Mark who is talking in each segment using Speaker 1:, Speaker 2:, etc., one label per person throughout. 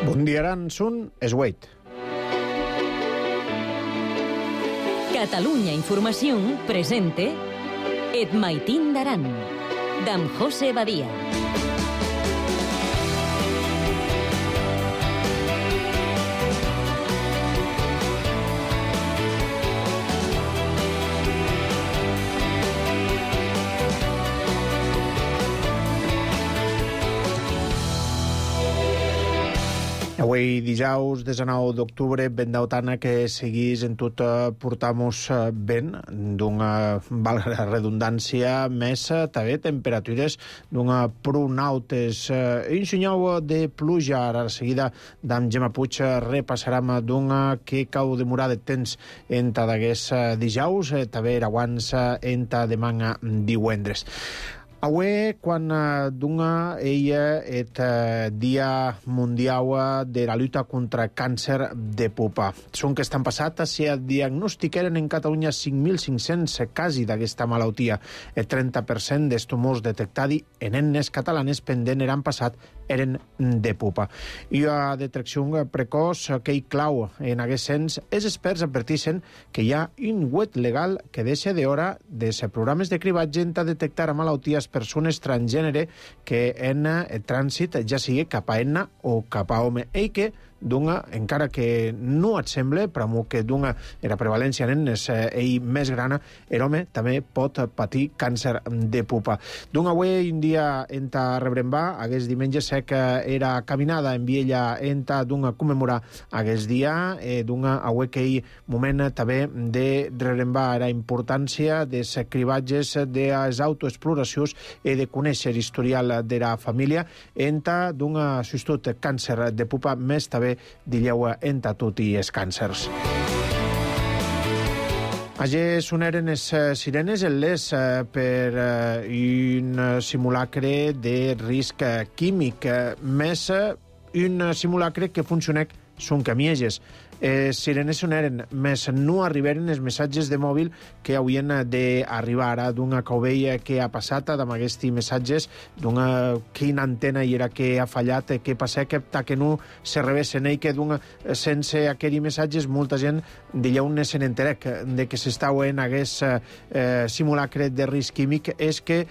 Speaker 1: Bundiaran sun Esweit.
Speaker 2: Catalunya Información presente Et Maitín d'Aran, d'en José Badia.
Speaker 1: Avui dijous 19 d'octubre, ben d'autana que seguís en tot portamos ben d'una, valga la redundància, més també temperatures d'una pronautes. Insinyau de pluja, ara seguida d'en Gemma Puig repassarem d'una que cau demorar de temps enta d'aguest dijous, també era abans enta demà divendres. Avui, quan d'una ella et Dia Mundial de la lluita contra càncer de pupa. Són que estan passat, si diagnostiqueren en Catalunya 5.500 casos d'aquesta malaltia. El 30% dels tumors detectats en nenes catalanes pendent eren passat eren de pupa. I a detecció precoç que hi clau en aquest sens, els experts adverteixen que hi ha un web legal que deixa d'hora dels programes de cribatge a detectar malalties persones transgènere que en trànsit ja sigui cap a enna o cap a home, i que d'una, encara que no et sembla, però que d'una era prevalència en nenes més grana, l'home també pot patir càncer de pupa. D'una avui un dia enta Rebrembà, aquest diumenge sé que era caminada en Viella enta d'una commemorar aquest dia, d'una avui que hi moment també de Rebrembà era importància dels cribatges de les autoexploracions i de conèixer historial de la família enta d'una substitut càncer de pupa més també dilleu enta tot i els càncers. Allí soneren les sirenes en les per un simulacre de risc químic, més un simulacre que funcionà són camieges. Sirenes soneren, més no arribaren els missatges de mòbil que haurien d'arribar ara d'una covella que ha passat, amb aquests missatges d'una quina antena hi era que ha fallat, que passa que no se revessen, i que sense aquells missatges molta gent d'allà on se n'enterec de que s'està en aquest simulacre de risc químic, és que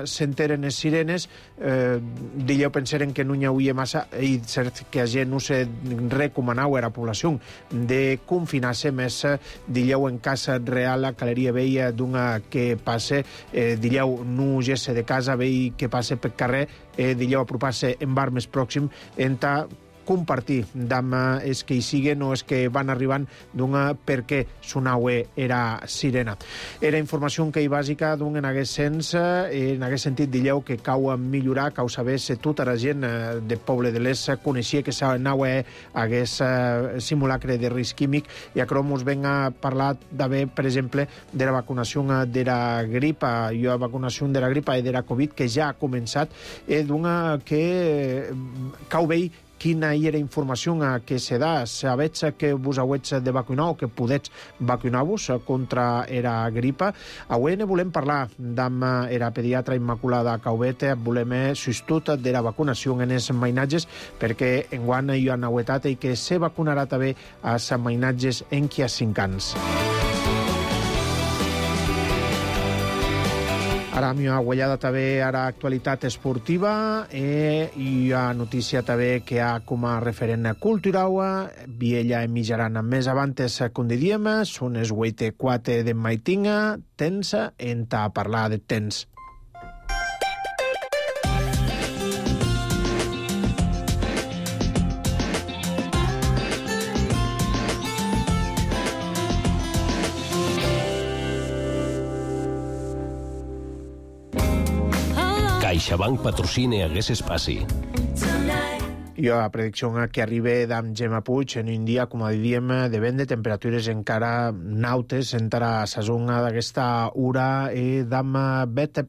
Speaker 1: s'enteren les sirenes, d'allà pensaren que no n'hi hauria massa, i cert que a gent no se recomanava a la població de confinar-se més dilleu en casa real a Caleria Vella d'una que passe, dilleu no gesse de casa vell que passe per carrer, dilleu apropar-se en bar més pròxim enta compartir amb els que hi siguen o els que van arribant d'una perquè sonaue era sirena. Era informació que hi bàsica en aquest sens, en aquest sentit dilleu que cau a millorar, cau saber si tota la gent de Poble de l'Est coneixia que s'anaue aquest simulacre de risc químic, i a Cromos ven a parlar d'haver, per exemple, de la vacunació de la gripa, i la vacunació de la gripa i de la Covid que ja ha començat, d'una que cau vell quina hi era informació que se da, sabets que vos hauets de vacunar o que podets vacunar-vos contra la gripa. Avui ne volem parlar amb la pediatra Immaculada Caubet, volem substitut de la vacunació en els mainatges, perquè enguany hi ha novetat i que se vacunarà també als mainatges en qui ha 5 anys. Ara m'hi ha guanyada també a l'actualitat esportiva i a notícia també que ha com a referent cultural Viella en mitjaran més avantes com diríem, són els 8:04 de maitinga, tens enta a parlar de temps.
Speaker 3: CaixaBank patrocina aquest espai.
Speaker 1: I la predicció que arriba d'en Gemma Puig en un dia, com diríem, de vent de temperatures encara nautes, encara a la zona d'aquesta hora, i d'amb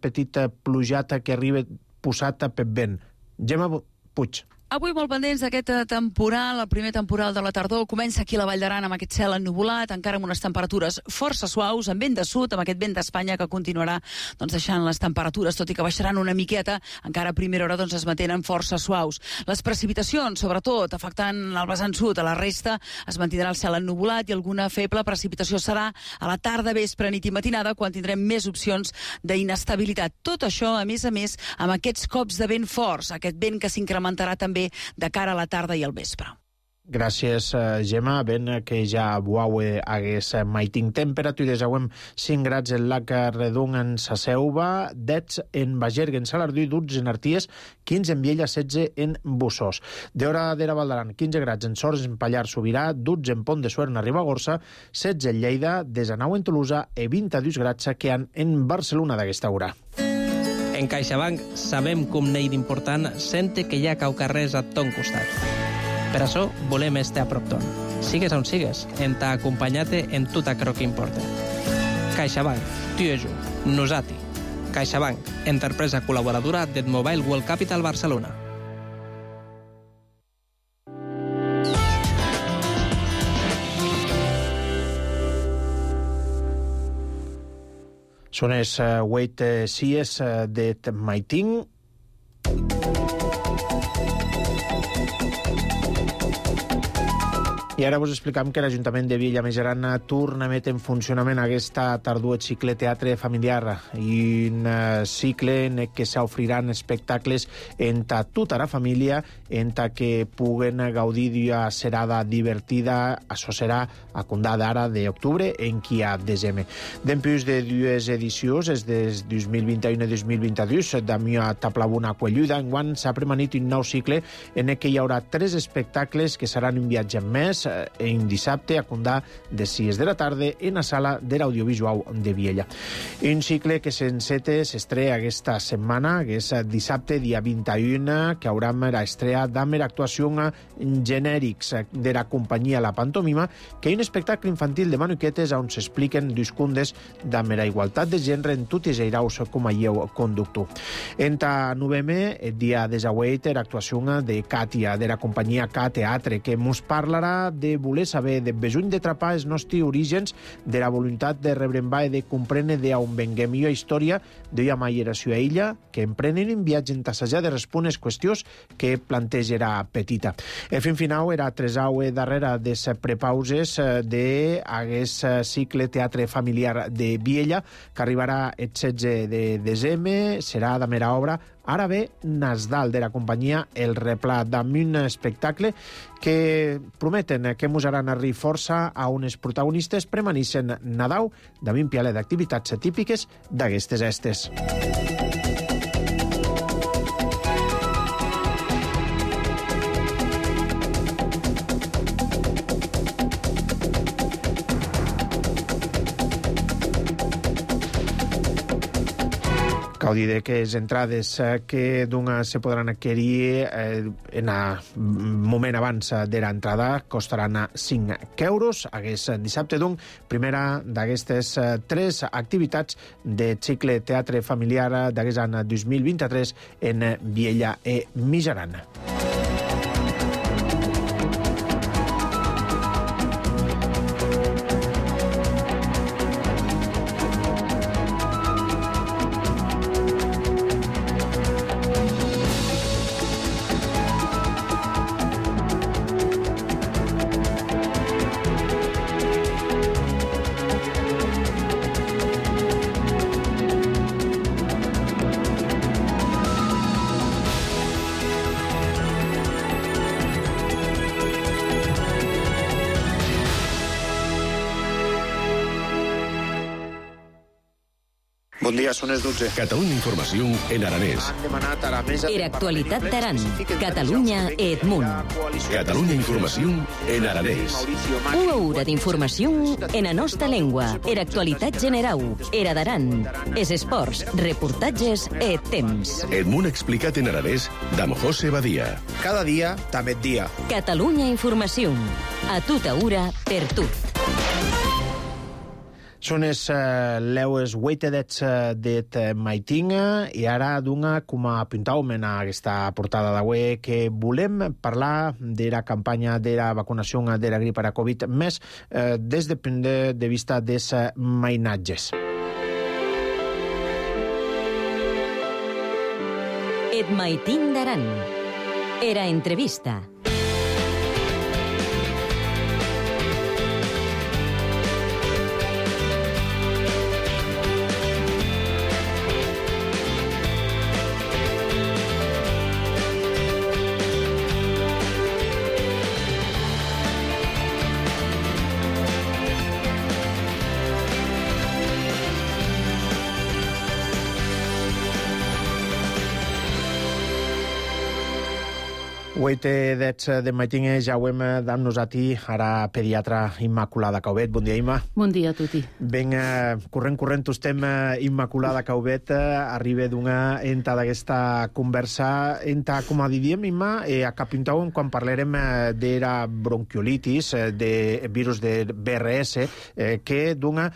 Speaker 1: petita plujata que arriba posada per vent. Gemma Puig.
Speaker 4: Avui molt pendents d'aquest temporal, el primer temporal de la tardor. Comença aquí a la Vall d'Aran amb aquest cel ennuvolat, encara amb unes temperatures força suaus, amb vent de sud, amb aquest vent d'Espanya que continuarà deixant les temperatures, tot i que baixaran una miqueta, encara a primera hora es mantenen força suaus. Les precipitacions, sobretot, afectant el vessant sud, a la resta es mantindrà el cel ennuvolat i alguna feble precipitació serà a la tarda, vespre, nit i matinada, quan tindrem més opcions d'inestabilitat. Tot això, a més, amb aquests cops de vent forts, aquest vent que s'incrementarà també de cara a la tarda i al vespre.
Speaker 1: Gràcies, Gemma. Ben que ja buaue hagués maiting temperatures. Auem 5 grads en Lac Redon en Sa Selva, 10 en Bagergue, en Salardú, 12 en Arties, 15 en Viella, 16 en Bussós. D'hora d'Era Val d'Aran, 15 grads en Sors, en Pallars Sobirà, 12 en Pont de Suert, en Ribagorça, 16 en Lleida, 19 en Tolosa i 22 grads que han en Barcelona d'aquesta hora.
Speaker 5: En CaixaBank sabem que un nei d'important sente que hi ha caucarrers a ton costat. Per això volem estar a prop ton. Sigues on sigues, en ta acompanyat en tot aquello que importa. CaixaBank, tu i jo, nosati. CaixaBank, empresa col·laboradora del Mobile World Capital Barcelona.
Speaker 1: Són els 8 sies de Maiting. I ara vos explicam que l'Ajuntament de Viella Mijaran torna a metre en funcionament aquesta tardor el cicle teatre familiar i un cicle en què s'ofriran espectacles entre tota la família, entre que puguen gaudir d'una serada divertida. Això serà a condar d'ara d'octubre en qui a desembre. Dempús de dues edicions, des de 2021 i 2022, d'amió a Taplabuna Quelluda, enguany s'ha premanit un nou cicle en què hi haurà 3 espectacles que seran un viatge més en dissabte a condar de 6 de la tarda en la sala de l'audiovisual de Viella. Un cicle que s'estrena aquesta setmana, que és dissabte, dia 21, que haurà l'estrena d'Amer actuació genèrics de la companyia La Pantomima, que és un espectacle infantil de manuquetes on s'expliquen discundes d'Amer a igualtat de gènere en tots els eiraus com a lleu conductor. En ta novembre, el dia 18, l'actuació de Càtia, de la companyia K Teatre, que ens parlarà de voler saber, de besuny de trapar els nostres orígens, de la voluntat de rebrembar i de comprendre d'on venguem i la història d'una maieració a ella, que emprenen un viatge en tassejar de respondre les qüestions que plantejarà petita. El fin final era tresaue darrere de les prepauses d'aquest cicle teatre familiar de Viella, que arribarà el 16 de desembre, serà de mera obra. Ara ve Nasdal, de la companyia El Replà, amb un espectacle que prometen que mos haran arribar força a uns protagonistes premanissen Nadal amb un pialet d'activitats típiques d'aquestes estes. Cal dir que les entrades que se podran adquirir en el moment abans de l'entrada costaran 5 euros. Aquest dissabte, doncs, primera d'aquestes 3 activitats de cicle teatre familiar d'aquest any 2023 en Viella i Mijaran. Bon dia, són les 12.
Speaker 3: Catalunya Informació en aranès.
Speaker 1: Han demanat a la mesa...
Speaker 2: Era actualitat d'Aran, Catalunya i Edmunt.
Speaker 3: Catalunya Informació en aranès.
Speaker 2: Una hora d'informació en la nostra llengua. Era actualitat general. Era d'Aran. Es esports, reportatges i temps.
Speaker 3: Edmunt explicat en aranès d'Am José Badia.
Speaker 1: Cada dia, també dia.
Speaker 2: Catalunya Informació. A tota hora, per tot.
Speaker 1: Són les 8 det maitinga i ara d'una, com a apuntàvem en aquesta portada d'avui, que volem parlar de la campanya de la vacunació de la grip a la Covid més des del punt de vista dels mainatges.
Speaker 2: Et maitin d'Aran. Era entrevista.
Speaker 1: De matinge ja ho hem amb nosaltres ara pediatra Immaculada Caubet. Bon dia, Imma.
Speaker 6: Bon dia a tutti.
Speaker 1: Ben, corrent estem Immaculada Caubet, arriba d'una enta d'aquesta conversa, enta, com a diríem, Imma, a capintàvem quan parlarem de la bronquiolitis, de virus de BRS, que d'una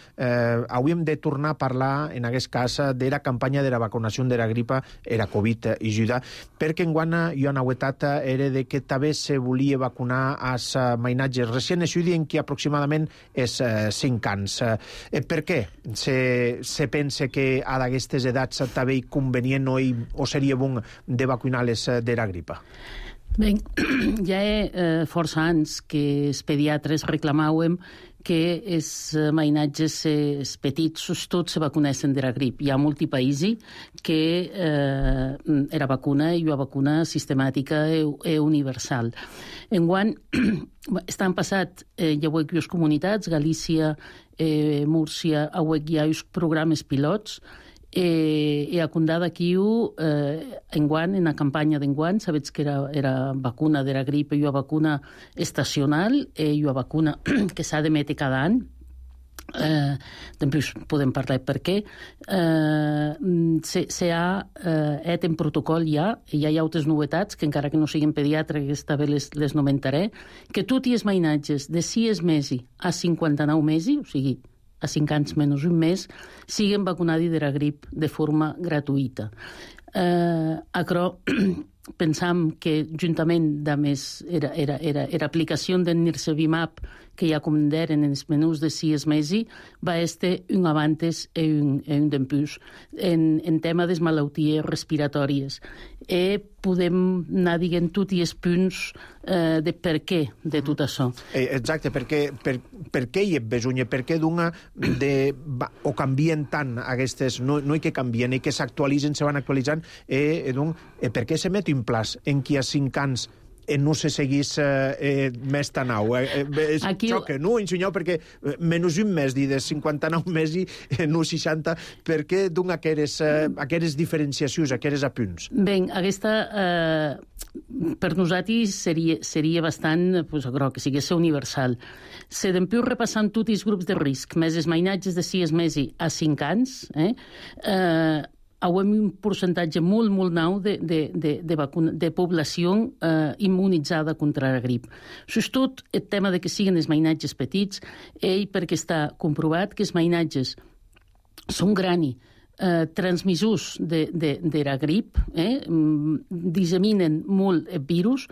Speaker 1: hauríem de tornar a parlar, en aquest cas, de la campanya de la vacunació de la gripa i la Covid i Juda, perquè enguany hi ha una novetat era de que també se volia vacunar als mainatges recents, això dient que aproximadament és 5 anys. Per què se pensa que a d'aquestes edats també convenient o seria bon de vacunar-les de la gripa?
Speaker 6: Bé, ja força anys que els pediatres reclamàvem que els mainatges petits tots se vacunessin de la grip. Hi ha molti paesi que era vacuna i una vacuna sistemàtica i universal. Enguany, estan passat llavors comunitats, Galícia, Múrcia, hi ha uns programes pilots e a condada aquí enguany, en la campanya d'enguany, sabets que era vacuna de la grip i una vacuna estacional i una vacuna que s'ha d'emetre cada any. Després podem parlar per què. S'ha en protocol ja, i hi ha altres novetats que encara que no siguin pediatre, que també les nomentaré, que tots els mainatges de 6 mesos a 59 mesos, o sigui, a 5 anys menys un mes, siguen vacunats de la grip de forma gratuïta. Però pensam que juntament amb l'aplicació del Nirsevimab que ja comanderen en els menús de 6 mesos va estar un avanç i un dempuix en tema de malalties respiratòries. Podem anar dient tots els punts de per què de tot això.
Speaker 1: Exacte, per què hi ha besonya? Per què o canvien tant aquestes, no hi que canvien, i que s'actualitzen, se van actualitzant, per què s'emet un plaç en qui a 5 anys no se seguís més tan au. Xoca, no? Ensenyau, perquè menys un mes de 59 mesos, no 60, per què donen aquestes diferenciacions, aquests apunts?
Speaker 6: Bé, aquesta per nosaltres seria bastant, que sigués universal. Se dempiu repassant tots els grups de risc, més els mainatges de 6 mesos a 5 anys, hem un percentatge molt nou de població immunitzada contra la grip. Sobretot el tema de que siguin els mainatges petits, perquè està comprovat que els mainatges són grans transmissors de la grip, disseminen molt el virus,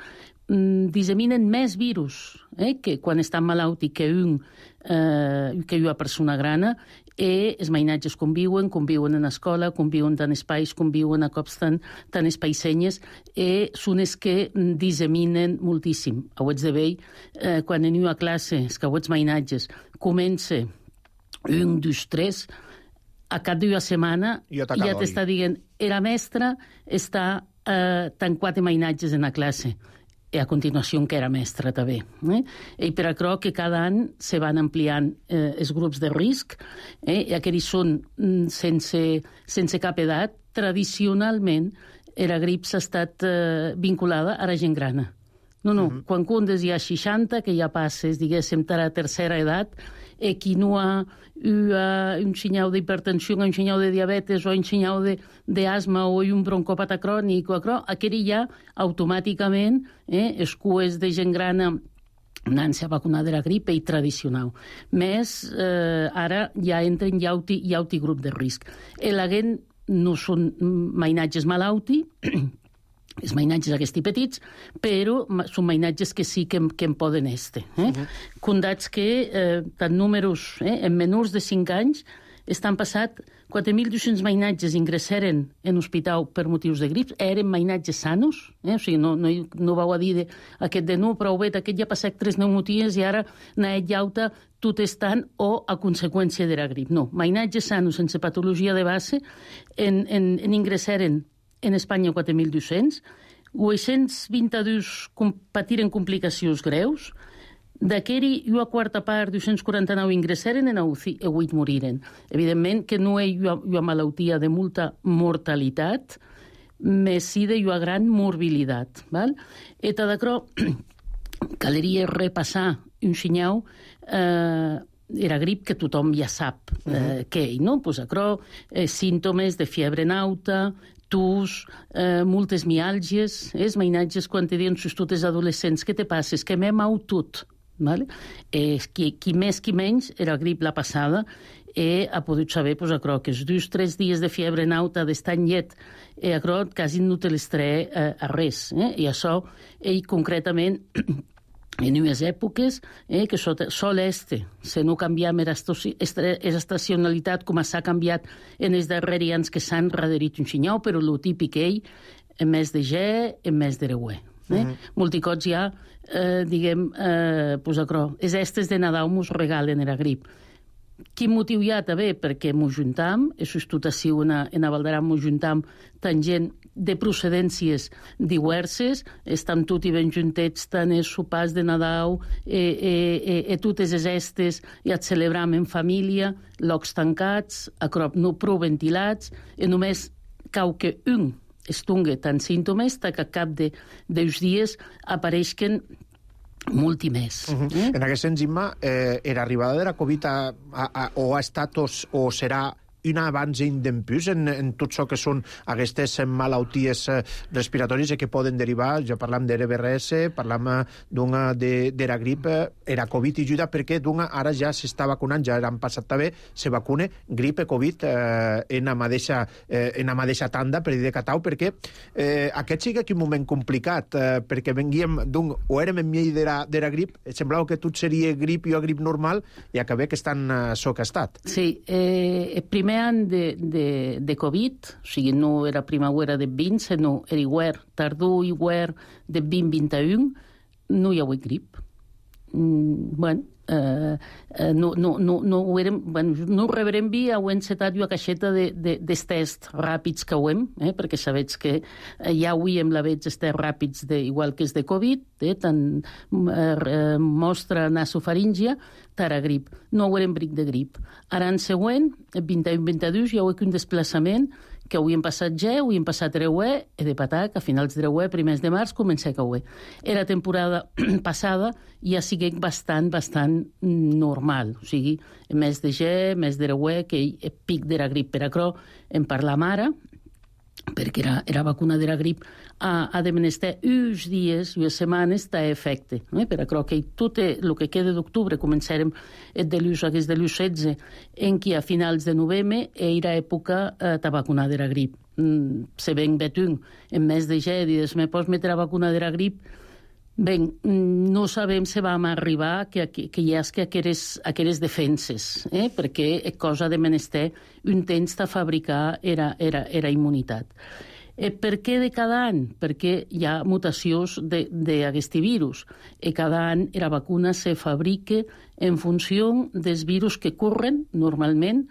Speaker 6: disseminen més virus que quan estan malalt i que una persona grana, i els mainatges conviuen en escola, conviuen en espais, conviuen a cops tan espaisenyes, i són els que disseminen moltíssim. Hauets de veure, quan en una classe, els cauets mainatges, comença 1, 2, 3, a cap d'una setmana ja t'està dient la mestra està tancat mainatges en la classe. I a continuació que era mestra també. I per això que cada any se van ampliant els grups de risc, i aquests són sense cap edat. Tradicionalment, la grip s'ha estat vinculada a la gent grana. Quan cundes hi ha 60, que ja passes, diguéssim, a la tercera edat, i qui no ha un senyal d'hipertensió, un senyal de diabetes o un senyal d'asma o un broncopata crònic, aquell ja automàticament els cues de gent grana anant-se a vacunar de la grip i tradicional. Més, ara ja entren jauti grup de risc. La gent no són mainatges malauti, els mainatges aquests petits, però són mainatges que sí que en poden estar. Condats que, tant números, en menors de 5 anys, estan passat 4.200 mainatges ingressaren en hospital per motius de grip, eren mainatges sanos, o sigui, no vau a dir aquest de no, prou bé, aquest ja ha passat 3 pneumoties i ara n'ha llauta tot estant o a conseqüència de la grip. No, mainatges sanos sense patologia de base en ingressaren en Espanya 4.200, 822 patiren complicacions greus, d'aquí una quarta part, 249 ingressaren en UCI i 8 moriren. Evidentment que no hi ha una malaltia de molta mortalitat, més sí de una gran morbilitat. I tot això caldria repassar un xinyau era grip que tothom ja sap què hi, no? Pues això, símptomes de fiebre nauta, tus, moltes miàlgies, mainatges quan te diuen sus totes adolescents, què te passes? Que m'he mau tot. Qui més, qui menys, era grip la passada, ha pogut saber que els 2-3 dies de fiebre nauta d'estar en llet, quasi no te l'estré a res. I això, concretament, en unes èpoques que sol se no canviam l'estacionalitat com s'ha canviat en els darrers anys que s'han rederit un xinyau, però el típic en mes de ge, en mes de reuer. Multicots ja, diguem, és estes de Nadal mos regalen la grip. Quin motiu hi ha també? Perquè mos juntam, tot així en Valderan mos juntam tant gent de procedències diverses, estem tots i ben juntets tant els sopars de Nadal totes les estes i et celebram en família, llocs tancats, no prou ventilats, i només cau que un estungue tant símptomes que a cap dels dies apareixen molt i més.
Speaker 1: En aquest sentit, Imma, l'arribada de la Covid o ha estat o serà un abans i un dempús en tot això que són aquestes malalties respiratòries que poden derivar, ja parlam de RBRS, parlam de la grip, la Covid ajuda perquè ara ja s'està vacunant, ja han passat també, se vacune grip i Covid en la mateixa tanda, per dir de catau, perquè aquest sí que és un moment complicat, perquè venguíem o érem en mig de la grip, semblava que tot seria grip i grip normal, i acabé que estan socastat.
Speaker 6: Sí, primer any de Covid, o sigui, no era primavera de 20, sinó era hivern, tardor i hivern de 2021, no hi ha hagut grip. No ho rebrem bé, ho hem encetat una caixeta dels tests ràpids que ho hem, perquè sabeu que ja avui hem la veig els tests ràpids igual que els de Covid, tant mostra nasofaríngia, tara grip. No haurem bric de grip. Ara en següent, el 21-22, hi ha un desplaçament que avui hem passat ge, avui hem passat reuer, i de patar que a finals de reuer, primers de març, comença a cauer. Era temporada passada ja sigui bastant normal. O sigui, mes de ge, mes de reuer, que és pic de la grip. Per això en parlam ara, perquè era vacuna de la grip ha de menester uns dies, unes setmanes, d'efecte. Per això que tot el que queda d'octubre començarem de l'16, en què a finals de novembre era època de vacunar de la grip. Se ven betun en mes de ge, dius, me pots metre a vacuna de la grip? Ben, no sabem si vam arribar que hi ha aquelles defenses, perquè és cosa de menester un temps de fabricar era immunitat. Per què de cada any? Perquè hi ha mutacions d'aquest virus. Cada any la vacuna se fabrica en funció dels virus que corren normalment.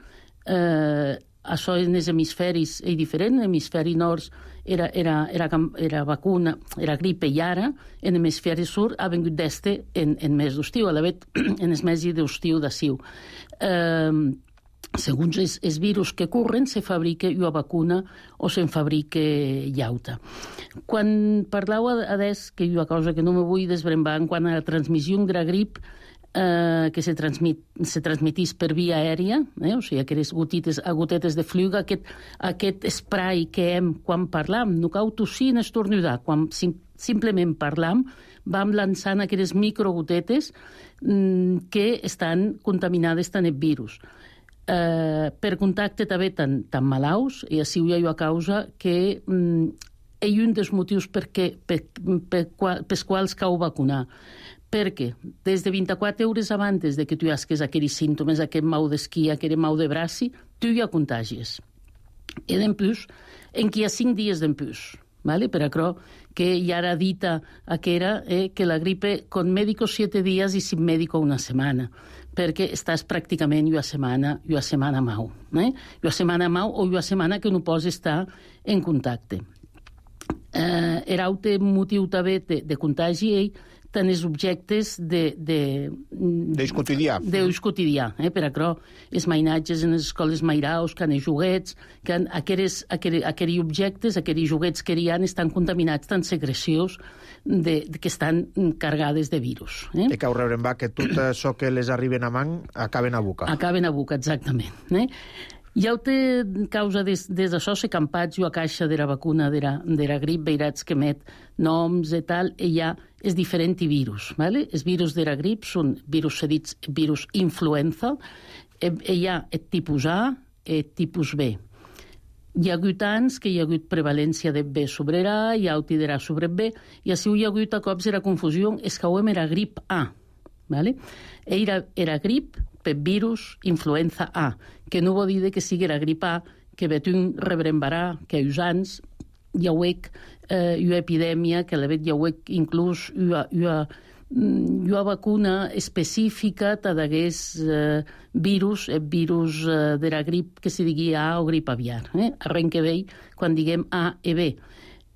Speaker 6: Això en els hemisferis és diferent. En l'hemisferi nord era vacuna, era gripe, i ara en l'hemisferi sud ha vingut d'este en mes d'estiu, a la vegada en els mesos d'estiu d'aciu. Segons els virus que corren, se fabrica una vacuna o se'n fabrica llauta. Quan parlau adés, que hi ha una cosa que no me vull desbrembar en quant a la transmissió de la grip, que se transmetís per via aèria, o sigui, aquelles gotetes de fluga, aquest spray que hem quan parlam, no cal tossir ni estornudar, quan simplement parlam, vam lançant aquelles microgotetes que estan contaminades tant el virus. Per contacte també tan malaus, i així hi ha causa que és un dels motius pels quals cal vacunar. Perquè des de 24 hores abans de que tu hasques aquells símptomes, aquest mal d'esquí, aquest mal de braci, tu ja contagies. I d'empús, en qui hi ha 5 dies d'empús. ¿Vale? Per això que ja era dita que la gripe con médico 7 días y sin médico una setmana, perquè estàs pràcticament una setmana mau. Una setmana mau o una setmana que no pots estar en contacte. L'altre motiu també de contagi tant els objectes
Speaker 1: d'ús quotidià.
Speaker 6: D'ús quotidià, per això els mainatges en les escoles mairaus, que els joguets, que aquells objectes, aquells joguets que hi ha, estan contaminats tant secrecions que estan cargades de virus.
Speaker 1: I que ho rebrem que tot això que les arriben a man acaben a boca.
Speaker 6: Acaben a boca, exactament. I altra causa des d'això se campats a caixa de la vacuna de la grip, veirats que met noms i tal, i hi ha els diferents virus. Els virus de la grip són virus sedits, virus influenza, hi ha el tipus A i el tipus B. Hi ha hagut anys que hi ha hagut prevalència de B sobre A, i altre de A sobre B, i així hi ha hagut a cops la confusió, és que era grip A. Era grip per virus influenza A, que no vol dir que sigui la grip A, que vetun rebrembarà, que uns anys hi ha una epidèmia, que la vet hi ha inclús una vacuna específica d'aguest virus, el virus de la grip que se digui A o grip aviar. Arrenc que vei quan diguem A i B.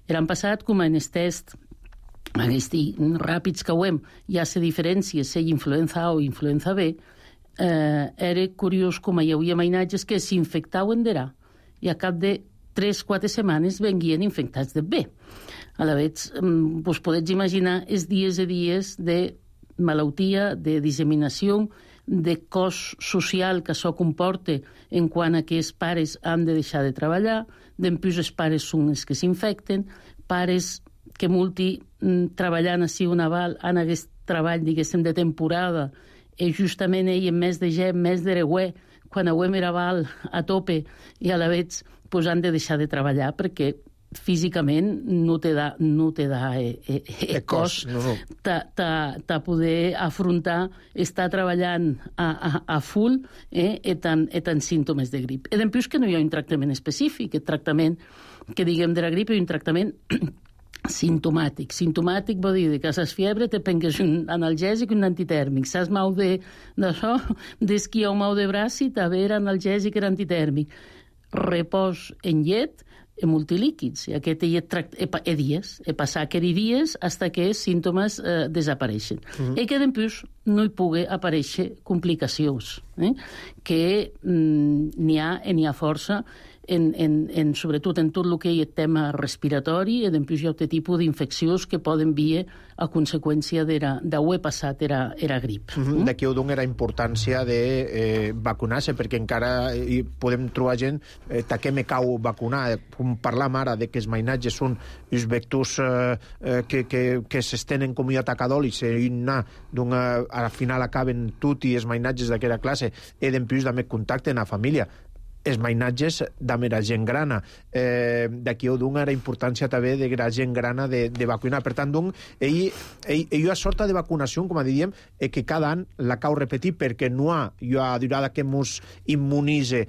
Speaker 6: L'any passat, com en el test aquests ràpids que ho hem, ja se diferència si influenza A o influenza B, era curiós com hi havia mainatges que s'infectaven d'A i a cap de 3-4 setmanes venguien infectats de B. A la vegada, vos podeu imaginar els dies i dies de malaltia, de disseminació, de cost social que això comporta en quant a que els pares han de deixar de treballar, d'empús els pares són els que s'infecten, pares que treballant així un aval en aquest treball, diguéssim, de temporada, i justament ell, en mes de gent, mes de regüer, quan auem era aval a tope, i a la vegada han de deixar de treballar perquè físicament no te da cos de poder afrontar estar treballant a full i tant símptomes de grip. I després que no hi ha un tractament específic, el tractament que diguem de la grip és un tractament sintomàtic. Sintomàtic vol dir que saps fiebre, te prengues un analgèsic i un antitèrmic. Saps mal d'això, d'esquí o mal de braç, també era analgèsic i antitèrmic. Repòs en llet i multilíquids. I aquest dies. I passar aquells dies fins que els símptomes desapareixen. I que després no hi pugui aparèixer complicacions. Que n'hi ha força sobretot en tot el que hi ha el tema respiratori i després hi ha un tipus d'infeccions que poden vir a conseqüència d'haver passat era grip.
Speaker 1: D'aquí ho dona la importància de vacunar-se, perquè encara podem trobar gent que me cau vacunar. Com parlam ara de que els mainatges són els vectors que s'estenen com a atacadòlics i al final acaben tot i els mainatges d'aquella classe i després també contacten a família. Els mainatges de la gent grana. D'aquí ho dona la importància també de la gent grana de vacunar. Per tant, hi ha sorta de vacunació, com diríem, que cada any la cal repetir perquè no hi ha durada que ens immunitze,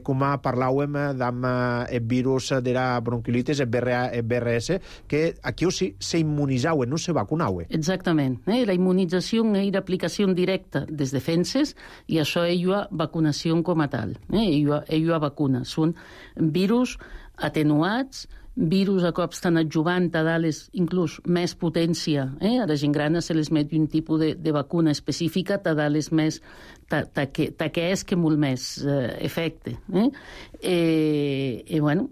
Speaker 1: com parlàvem amb el virus de la bronquilitis, el BRS, que aquí s'immunitzau, no se vacunau.
Speaker 6: Exactament. La immunització és l'aplicació directa des defenses i això és la vacunació com a tal. Hi ha vacunes. Són virus atenuats, virus a cops tan adjuvant a dalt inclús més potència. A la gent grana se les met un tipus de vacuna específica a dalt més que és que molt més efecte. I bueno,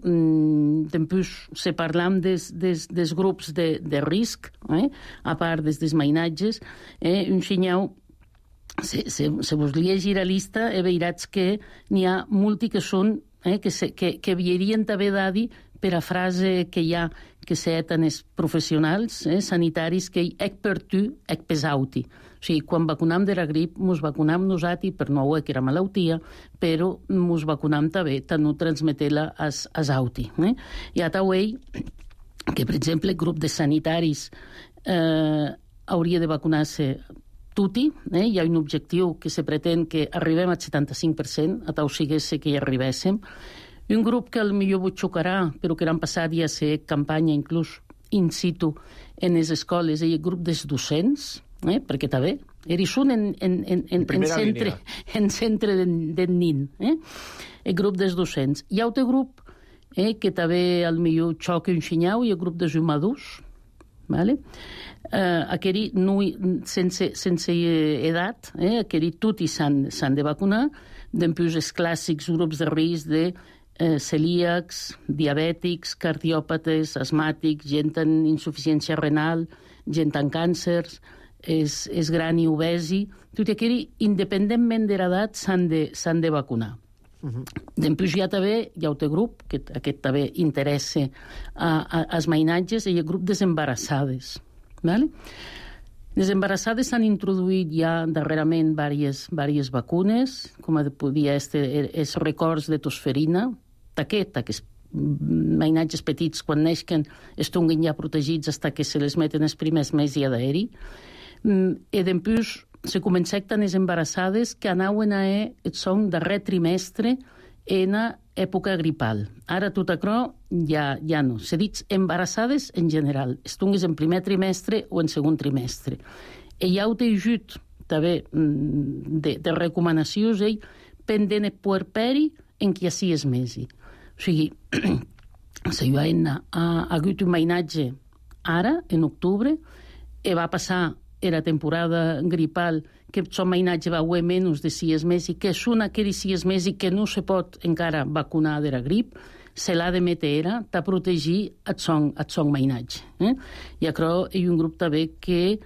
Speaker 6: després se parlam dels grups de risc, a part dels mainatges, un senyal se vos llegir la lista, veuràs que n'hi ha molti que són, que haurien d'haver d'adi per a frase que hi ha que s'eten els professionals sanitaris que ec per tu, ec pesauti. O sigui, quan vacunam de la grip, mos vacunam nosati per no haver que era malaltia, però mos vacunam també, tant no transmeter-la als auti. I a tauell que, per exemple, el grup de sanitaris hauria de vacunar-se tutti, hi ha un objectiu que se pretén que arribem al 75%, a tau sigués que hi arribéssim. Un grup que potser vos xocarà, però que l'any passat ja ser campanya inclús in situ en les escoles, el grup dels docents, perquè també són en centre del nin, el grup dels docents. Hi ha un altre grup que també potser xoca un xinyau, i el grup dels madurs, aquells sense edat, aquells tots s'han de vacunar, després els clàssics grups de risc de celíacs, diabètics, cardiòpates, asmàtics, gent amb insuficiència renal, gent amb càncers, és gran i obesi, tot aquell, independentment de l'edat, s'han de vacunar. Després hi ha també, hi ha un grup, que aquest també interessa als mainatges, i el grup des embarassades. Les embarassades s'han introduït ja darrerament diverses vacunes, com podia ser els records de tosferina, aquests mainatges petits, quan neixen, estiguin ja protegits fins que se les meten els primers mesos d'aeri. I després se comencen les embarassades que anaven a el son darrer trimestre en època gripal. Ara tot això ja no. Se dit embarassades en general, estiguis en primer trimestre o en segon trimestre. I hi ha un ajut també de recomanacions pendent el puerperi en qui així és mesi. O sigui, ha hagut un mainatge ara, en octubre, i va passar la temporada gripal que son mainatge va haver menys de 6 mesos, que són aquells 6 mesos que no se pot encara vacunar de la grip, se l'ha de meter a protegir el son mainatge. I això hi ha un grup també que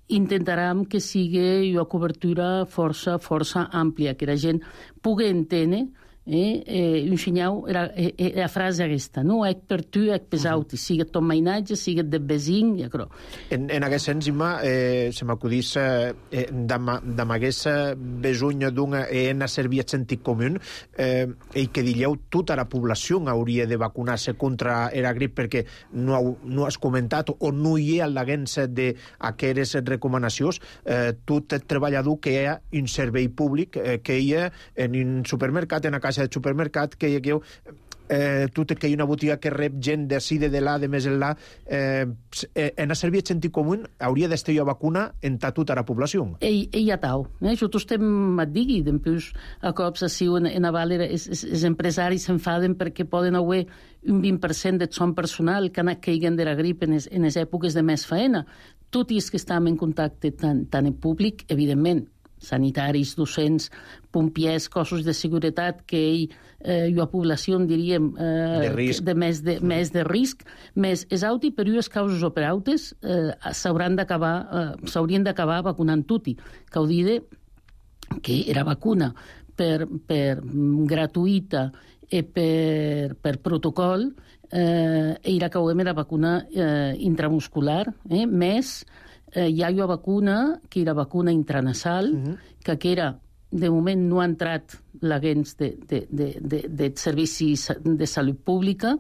Speaker 6: intentarem que sigui una cobertura força àmplia, que la gent pugui entendre un xinyau, la frase aquesta, no? Ec per tu, ec pesauti, sigue tot mainatge, sigue de vesin, i això.
Speaker 1: En aquest sens, Imma, se m'acudís d'amagués besuny d'una en servir el sentit comú i que digueu tota la població hauria de vacunar-se contra la grip, perquè no has comentat o no hi ha l'aguença d'aquestes recomanacions. Tot el treballador que hi ha un servei públic, que hi ha en un supermercat, en una caixa de supermercat, que hi ha tot que hi ha una botiga que rep gent d'ací, de là, de més enllà, en a servir el sentit comú hauria d'estar a vacuna en tota la població.
Speaker 6: I a tau. Jo estem et digui, després a cops així en aval els empresaris s'enfaden perquè poden haver un 20% de son personal que anat caiguen de la grip en les èpoques de més feina. Tot i que estem en contacte tant en públic, evidentment, sanitaris, docents, pompiers, cossos de seguretat, que la població, diríem, de més de risc, més és auti per unes causes o per autes, s'haurien d'acabar vacunant tutti. Que ho diré que era vacuna per gratuïta i per protocol, era que era vacuna intramuscular, més hi ha una vacuna, que era vacuna intranasal, que era, de moment no ha entrat l'agents de servicis de salut pública,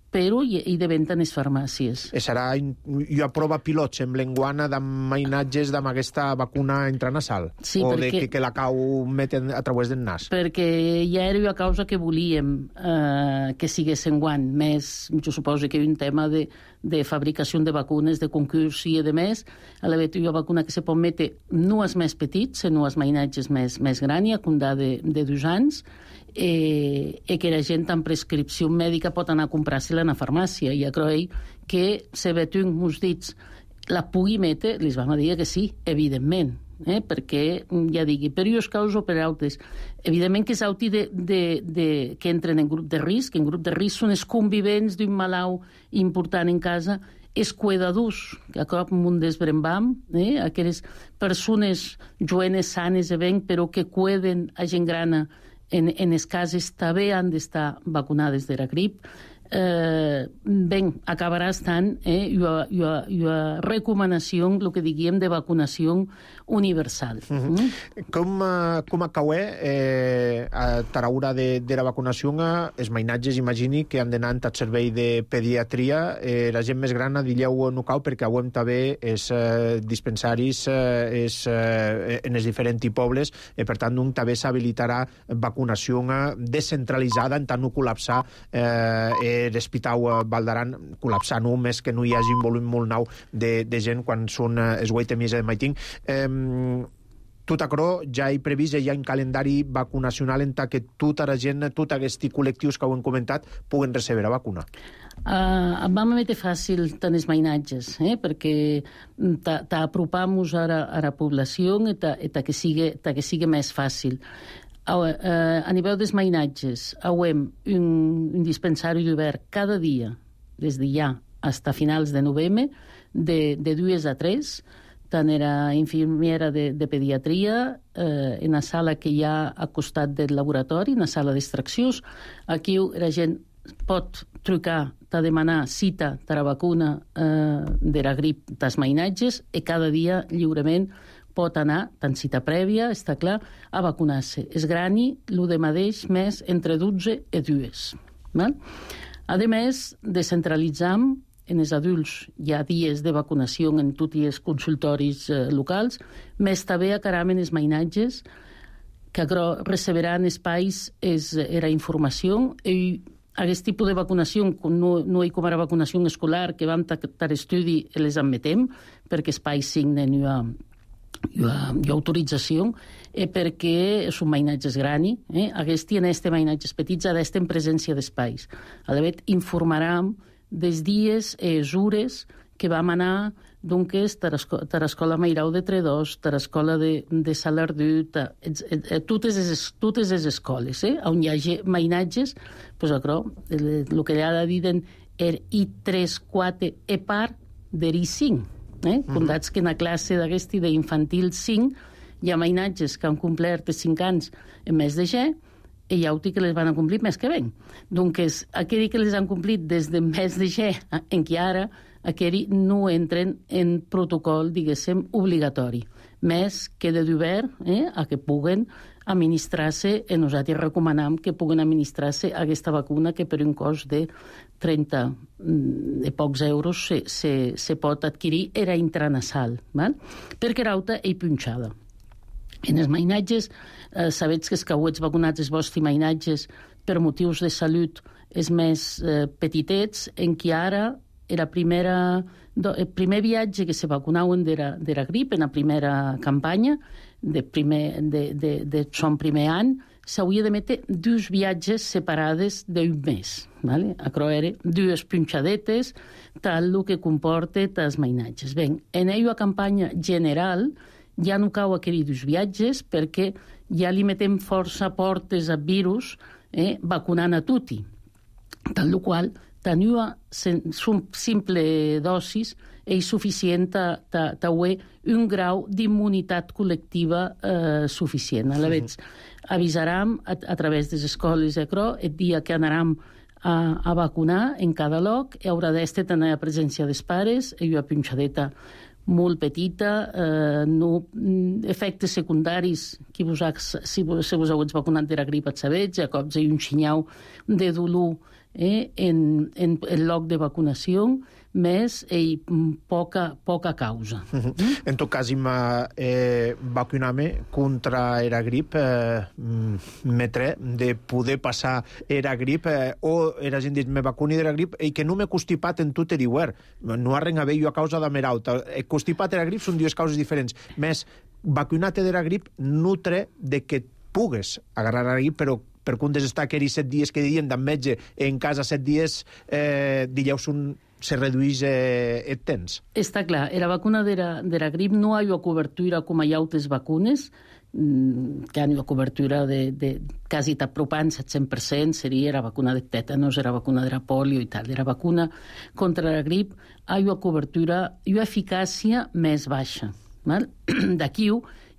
Speaker 6: però hi de venda en les farmàcies.
Speaker 1: Serà una prova pilot, sembla, enguana d'amainatges amb aquesta vacuna intranasal? Sí, o perquè, que la cau meten a través del nas?
Speaker 6: Perquè ja era una causa que volíem que sigués enguant. Més, jo suposo que hi ha un tema de fabricació de vacunes, de concurs i de més. A la vegada, una vacuna que se pot metre no als més petits, sinó als mainatges més grans, a condar de 2 anys, i que la gent amb prescripció mèdica pot anar a comprar-se-la a la farmàcia. I crec que se vetun uns dits la pugui metre, li vam dir que sí, evidentment. perquè, ja digui, per uns caus o per altres. Evidentment que és auti que entren en grup de risc. En grup de risc són els convivents d'un malalt important en casa, els cuidadors, que a cop un desbrembam, aquelles persones jovenes sanes e ben, però que cuiden a gent grana en les cases, també han d'estar vacunades de la grip. Ben, acabarà estant una recomanació, el que diguem, de vacunació universal.
Speaker 1: Com acaué a Taraura de la vacunació, els mainatges, imagini, que han d'anar al servei de pediatria, la gent més gran, dilleu no cau, perquè avui també els dispensaris en els diferents pobles, per tant, també s'habilitarà vacunació descentralitzada, en tant no col·lapsar l'Hospital Vall d'Aran, col·lapsar només que no hi hagi un volum molt nou de gent quan són els 8 mesos de maiting. Tot això ja hi previst, ja hi ha un calendari vacunacional en que tota la gent, tots aquests col·lectius que ho hem comentat, puguen rebre la vacuna.
Speaker 6: Vam metre fàcil tant els mainatges, perquè t'apropamos a la població i que sigui més fàcil. A nivell dels mainatges, hem un dispensari obert cada dia, des de ja fins a finals de novembre, de 2 a 3, tant era infermera de pediatria, en la sala que hi ha al costat del laboratori, en la sala d'extraccions. Aquí la gent pot trucar, a demanar cita de la vacuna de la grip dels mainatges, i cada dia lliurement pot anar, tant cita prèvia, està clar, a vacunar-se. És grani, el de mateix, més entre 12 i 2. A més, descentralitzam en els adults. Hi ha dies de vacunació en tots els consultoris locals, més també a caram en els mainatges, que receberan espais era informació, i aquest tipus de vacunació, no hi com ara vacunació escolar, que vam tar estudi, les admetem, perquè espais signen hi ha autorització, perquè són mainatges grani. En aquests mainatges petits ha d'estar en presència d'espais. A l'haver informarem dels dies i hores que vam anar a l'escola Mairau de Tredós, a l'escola de Salardú, totes les escoles, on hi hagi mainatges, el que ha de dir I3, 4, part d'I5. Condats que en la classe d'aquesta d'infantil 5 hi ha mainatges que han complert 5 anys en mes de G, i hi ha que les van a complir més que ben. Doncs aquells que les han complit des de mes de G en què ara, aquells no entren en protocol, diguéssim, obligatori. Més que de d'obert a que puguen administrar-se, i nosaltres recomanem que puguen administrar-se aquesta vacuna, que per un cost de 30 i pocs euros se pot adquirir, era intranasal, perquè l'altra és punxada. En els mainatges, sabets que els cauets vacunats, els vostres mainatges, per motius de salut, els més petitets, en què ara el primer viatge que se vacunaven de la grip, en la primera campanya, de son primer any, s'hauria de metre 2 viatges separades d'un mes. Això eren 2 punxadetes, tal el que comporta els mainatges. Ben, en la campanya general ja no cau aquells 2 viatges, perquè ja li metem força portes a virus vacunant a tutti. Tal qual, tenir una simple dosis és suficient per tenir un grau d'immunitat col·lectiva suficient. A la vegada, avisarem a través de les escoles el dia que anarem a vacunar en cada lloc, i haurà d'estar tenir la presència dels pares, i una punxadeta molt petita, efectes secundaris, si vos heu vacunat de la grip et sabets, a cops hi ha un xinyau de dolor en el lloc de vacunació, més poca causa.
Speaker 1: En tot cas, vacunar-me contra la grip, metre de poder passar la grip, o la gent dit, me vacuni de la grip, i que no m'he constipat en tot l'hivern. No ha res a veure a causa de merauta. Constipat de la grip són 2 causes diferents. Més, vacunar-te de la grip nutre de que pugues agarrar la grip, però per comptes d'estar aquells 7 dies que diuen d'en metge en casa 7 dies, dijous se reduís el temps.
Speaker 6: Està clar, era vacuna dera grip non hai a cobertura com hi ha altres vacunes, que han a cobertura de quasi t'apropant 100%, seria la vacuna de tètanos, era vacuna de la polio i tal. Era vacuna contra la grip, hi ha cobertura i eficàcia més baixa. D'aquí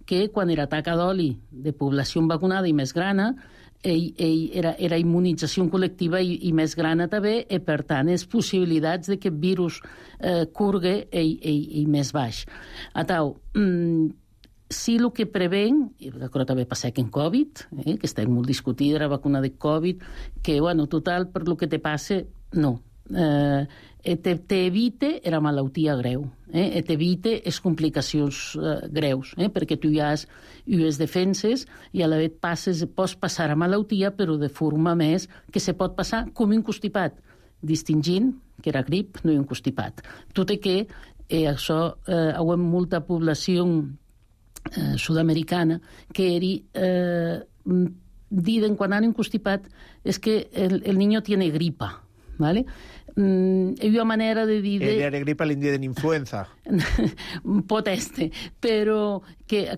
Speaker 6: que quan era taca d'oli de població vacunada i més grana, era immunització col·lectiva i més grana també, i per tant, les possibilitats de que el virus curgue i més baix. Atau, si el que preven, i això també passa que en Covid, que està molt discutida la vacuna de Covid, que, bueno, total, per lo que te passe, no. T'evite la malaltia greu, t'evite les complicacions greus, perquè tu ja has unes defenses i a la vegada pots passar a malaltia, però de forma més que se pot passar com un constipat, distingint que era grip, no un constipat. Tot i que això hi ha molta població sud-americana que diden quan han un constipat és que el niño tiene gripa, ¿vale? Hi ha una manera de dir...
Speaker 1: Era gripa l'índia de influenza.
Speaker 6: Pot este, però que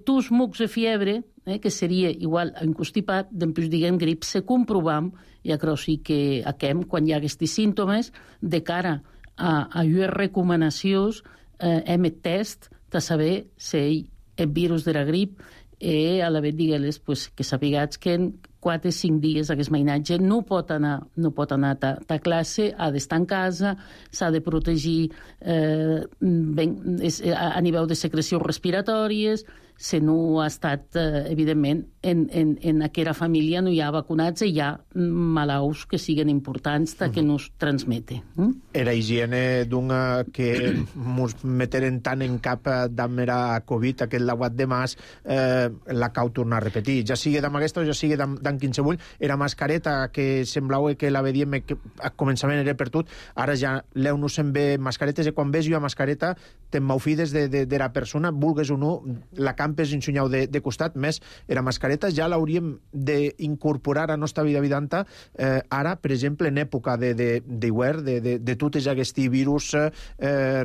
Speaker 6: tus mucs de fiebre, que seria igual a un constipat, després diguem grip, se comprovam, i això sí que quan hi ha aquests símptomes, de cara a les recomanacions, hem el test de saber si el virus de la grip a la vegada digues que sapigats que en 4 o 5 dies aquest mainatge no pot anar a classe, ha d'estar en casa, s'ha de protegir a nivell de secrecions respiratòries, si no ha estat, evidentment, en aquella família no hi ha vacunats i hi ha malalts que siguen importants que no es transmeten.
Speaker 1: Era higiene d'una que ens meteren tant en cap d'amera Covid, aquest lauat de mas, la cau tornar a repetir. Ja sigui d'am aquesta o ja sigui d'am qualsevol, era mascareta que semblava que la vedíem que a començament era per tot, ara ja l'eu no se'n ve mascaretes, i quan ves jo a mascareta te'n maufides de la persona, vulgues o no, la campes ensunyau de costat, més era mascareta, ja l'hauríem d'incorporar a la nostra vida vidanta, ara, per exemple, en època d'hivern, de totes aquests virus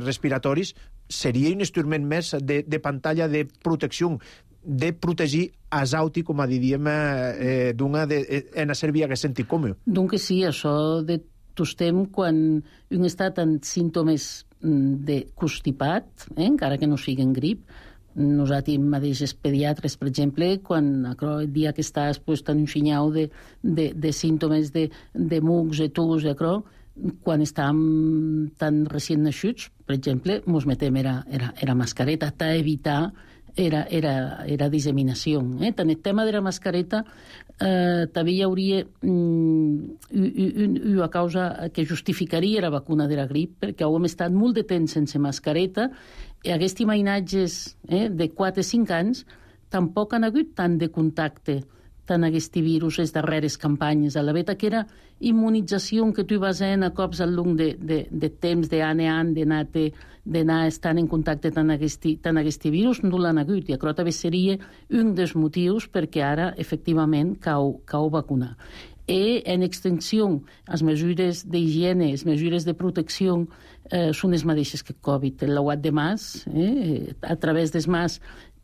Speaker 1: respiratoris, seria un instrument més de pantalla de protecció, de protegir asauti, com a diríem, en a servir aquest sentit comú.
Speaker 6: Donc sí, això de tostem quan un està en símptomes de constipat, encara que no siguin grip. Nosaltres mateixos pediatres, per exemple, quan el dia que estàs en un xinyau de símptomes de mucs, de tus, quan estàvem tan recient nascuts, per exemple, ens metem era mascareta, per evitar era disseminació. En el tema de la mascareta també hi hauria una causa que justificaria la vacuna de la grip, perquè hem estat molt de temps sense mascareta i aquests imatges de 4 o 5 anys tampoc han hagut tant de contacte tant aquest virus les darreres campanyes. A la vegada que era immunització que tu vas a cops al long de temps, d'any a any, d'anar estant en contacte tant aquest virus, no l'han hagut. I això també seria un dels motius perquè ara, efectivament, cau vacunar. I en extensió, les mesures d'higiene, les mesures de protecció són les mateixes que Covid. El lauat de mas, a través dels mas,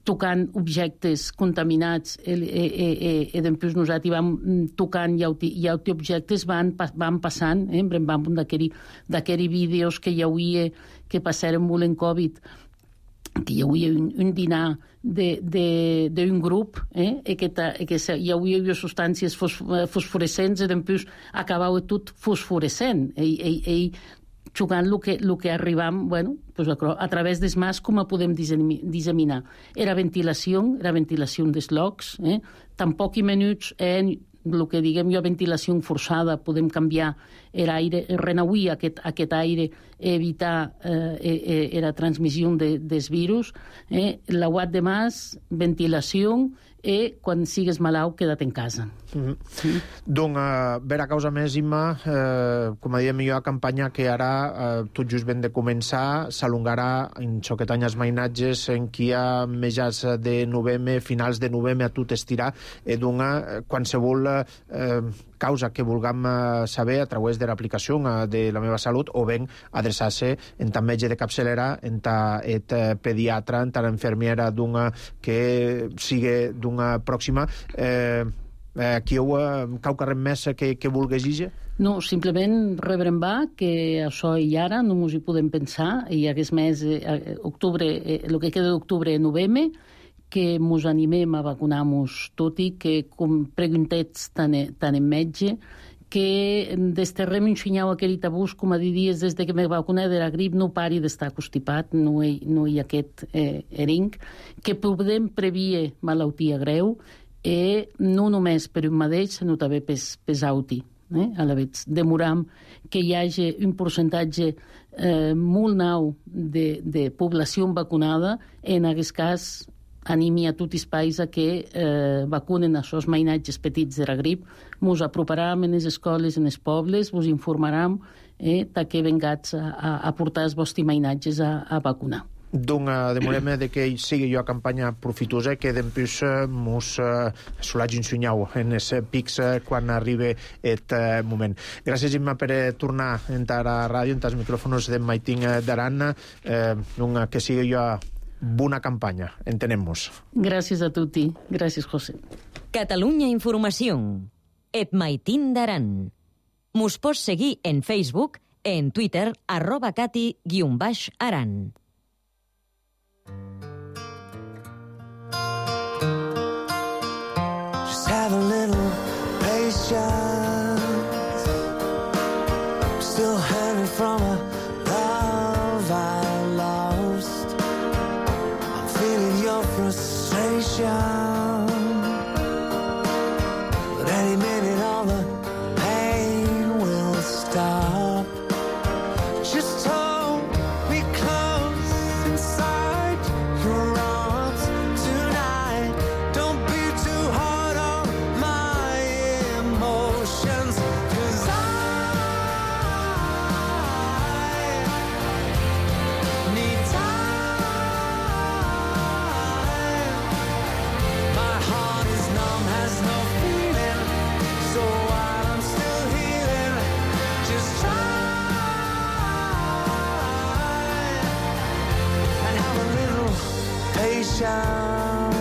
Speaker 6: tocant objectes contaminats i després nosaltres vam tocant i altres objectes van passant, vam d'aquells vídeos que hi havia que passaren molt en Covid, que hi havia un dinar d'un grup i que hi havia substàncies fosforescents i després acabava tot fosforescent i jugant el que arribam, a través dels mas, com podem disseminar. Era ventilació dels llocs, tampoc i minuts el que diguem jo, ventilació forçada, podem canviar l'aire, renauir aquest aire, evitar la transmissió dels virus, l'auat de mas, ventilació, i quan sigues malalt, queda't en casa.
Speaker 1: Donc, vera causa més, Imma, com a diem jo, a campanya que ara tot just ben de començar, s'alongarà en xoquetany els mainatges en qui hi ha mitjans de novembre, finals de novembre, a tot estirar, qualsevol causa que vulguem saber a través de l'aplicació de La Meva Salut o ben adreçar-se en tant metge de capçalera, en tant pediatra, en tant infermiera d'una que sigui d'una pròxima. Aquí cau carrer més que vulguis dir?
Speaker 6: No, simplement rebrem que això i ara no ens hi podem pensar, i aquest mes, octubre, el que queda d'octubre i novembre, que ens animem a vacunar-nos, tot i que com preguntets tant en metge, que desterrem un xinyau aquell tabús, com a dir dies des que me vacuné de la grip, no pari d'estar constipat, no hi ha aquest ering, que podem prevenir malaltia greu, i no només per un mateix, sinó també per auti. A la vegada demoram que hi hagi un percentatge molt nou de població vacunada. En aquest cas animi a tots els països a que vacunen aquests mainatges petits de la grip. Ens aproparam en les escoles, en els pobles, us informarem que vengats a portar els vostres mainatges a vacunar.
Speaker 1: Donc, demorem que sigui jo a campanya profitosa, que després mos solagi un sunyau en els pics quan arribi aquest moment. Gràcies, Imma, per tornar a entrar a la ràdio, en els micròfons de Maitín d'Aran, que sigui jo bona campanya. Entenem-nos.
Speaker 6: Gràcies a tutti. Gràcies, José.
Speaker 2: Catalunya Informació. Et Maitín d'Aran. Mos pots seguir en Facebook, en Twitter, @cati_aran.
Speaker 7: Have a little patience. I'm still hurting from a love I lost. I'm feeling your frustration, but any minute all the pain will stop. Just hold me close inside your arms tonight. Don't be too hard on my emotions, 'cause I need time. My heart is numb, has no feeling, so while I'm still healing, just try and have a little patience.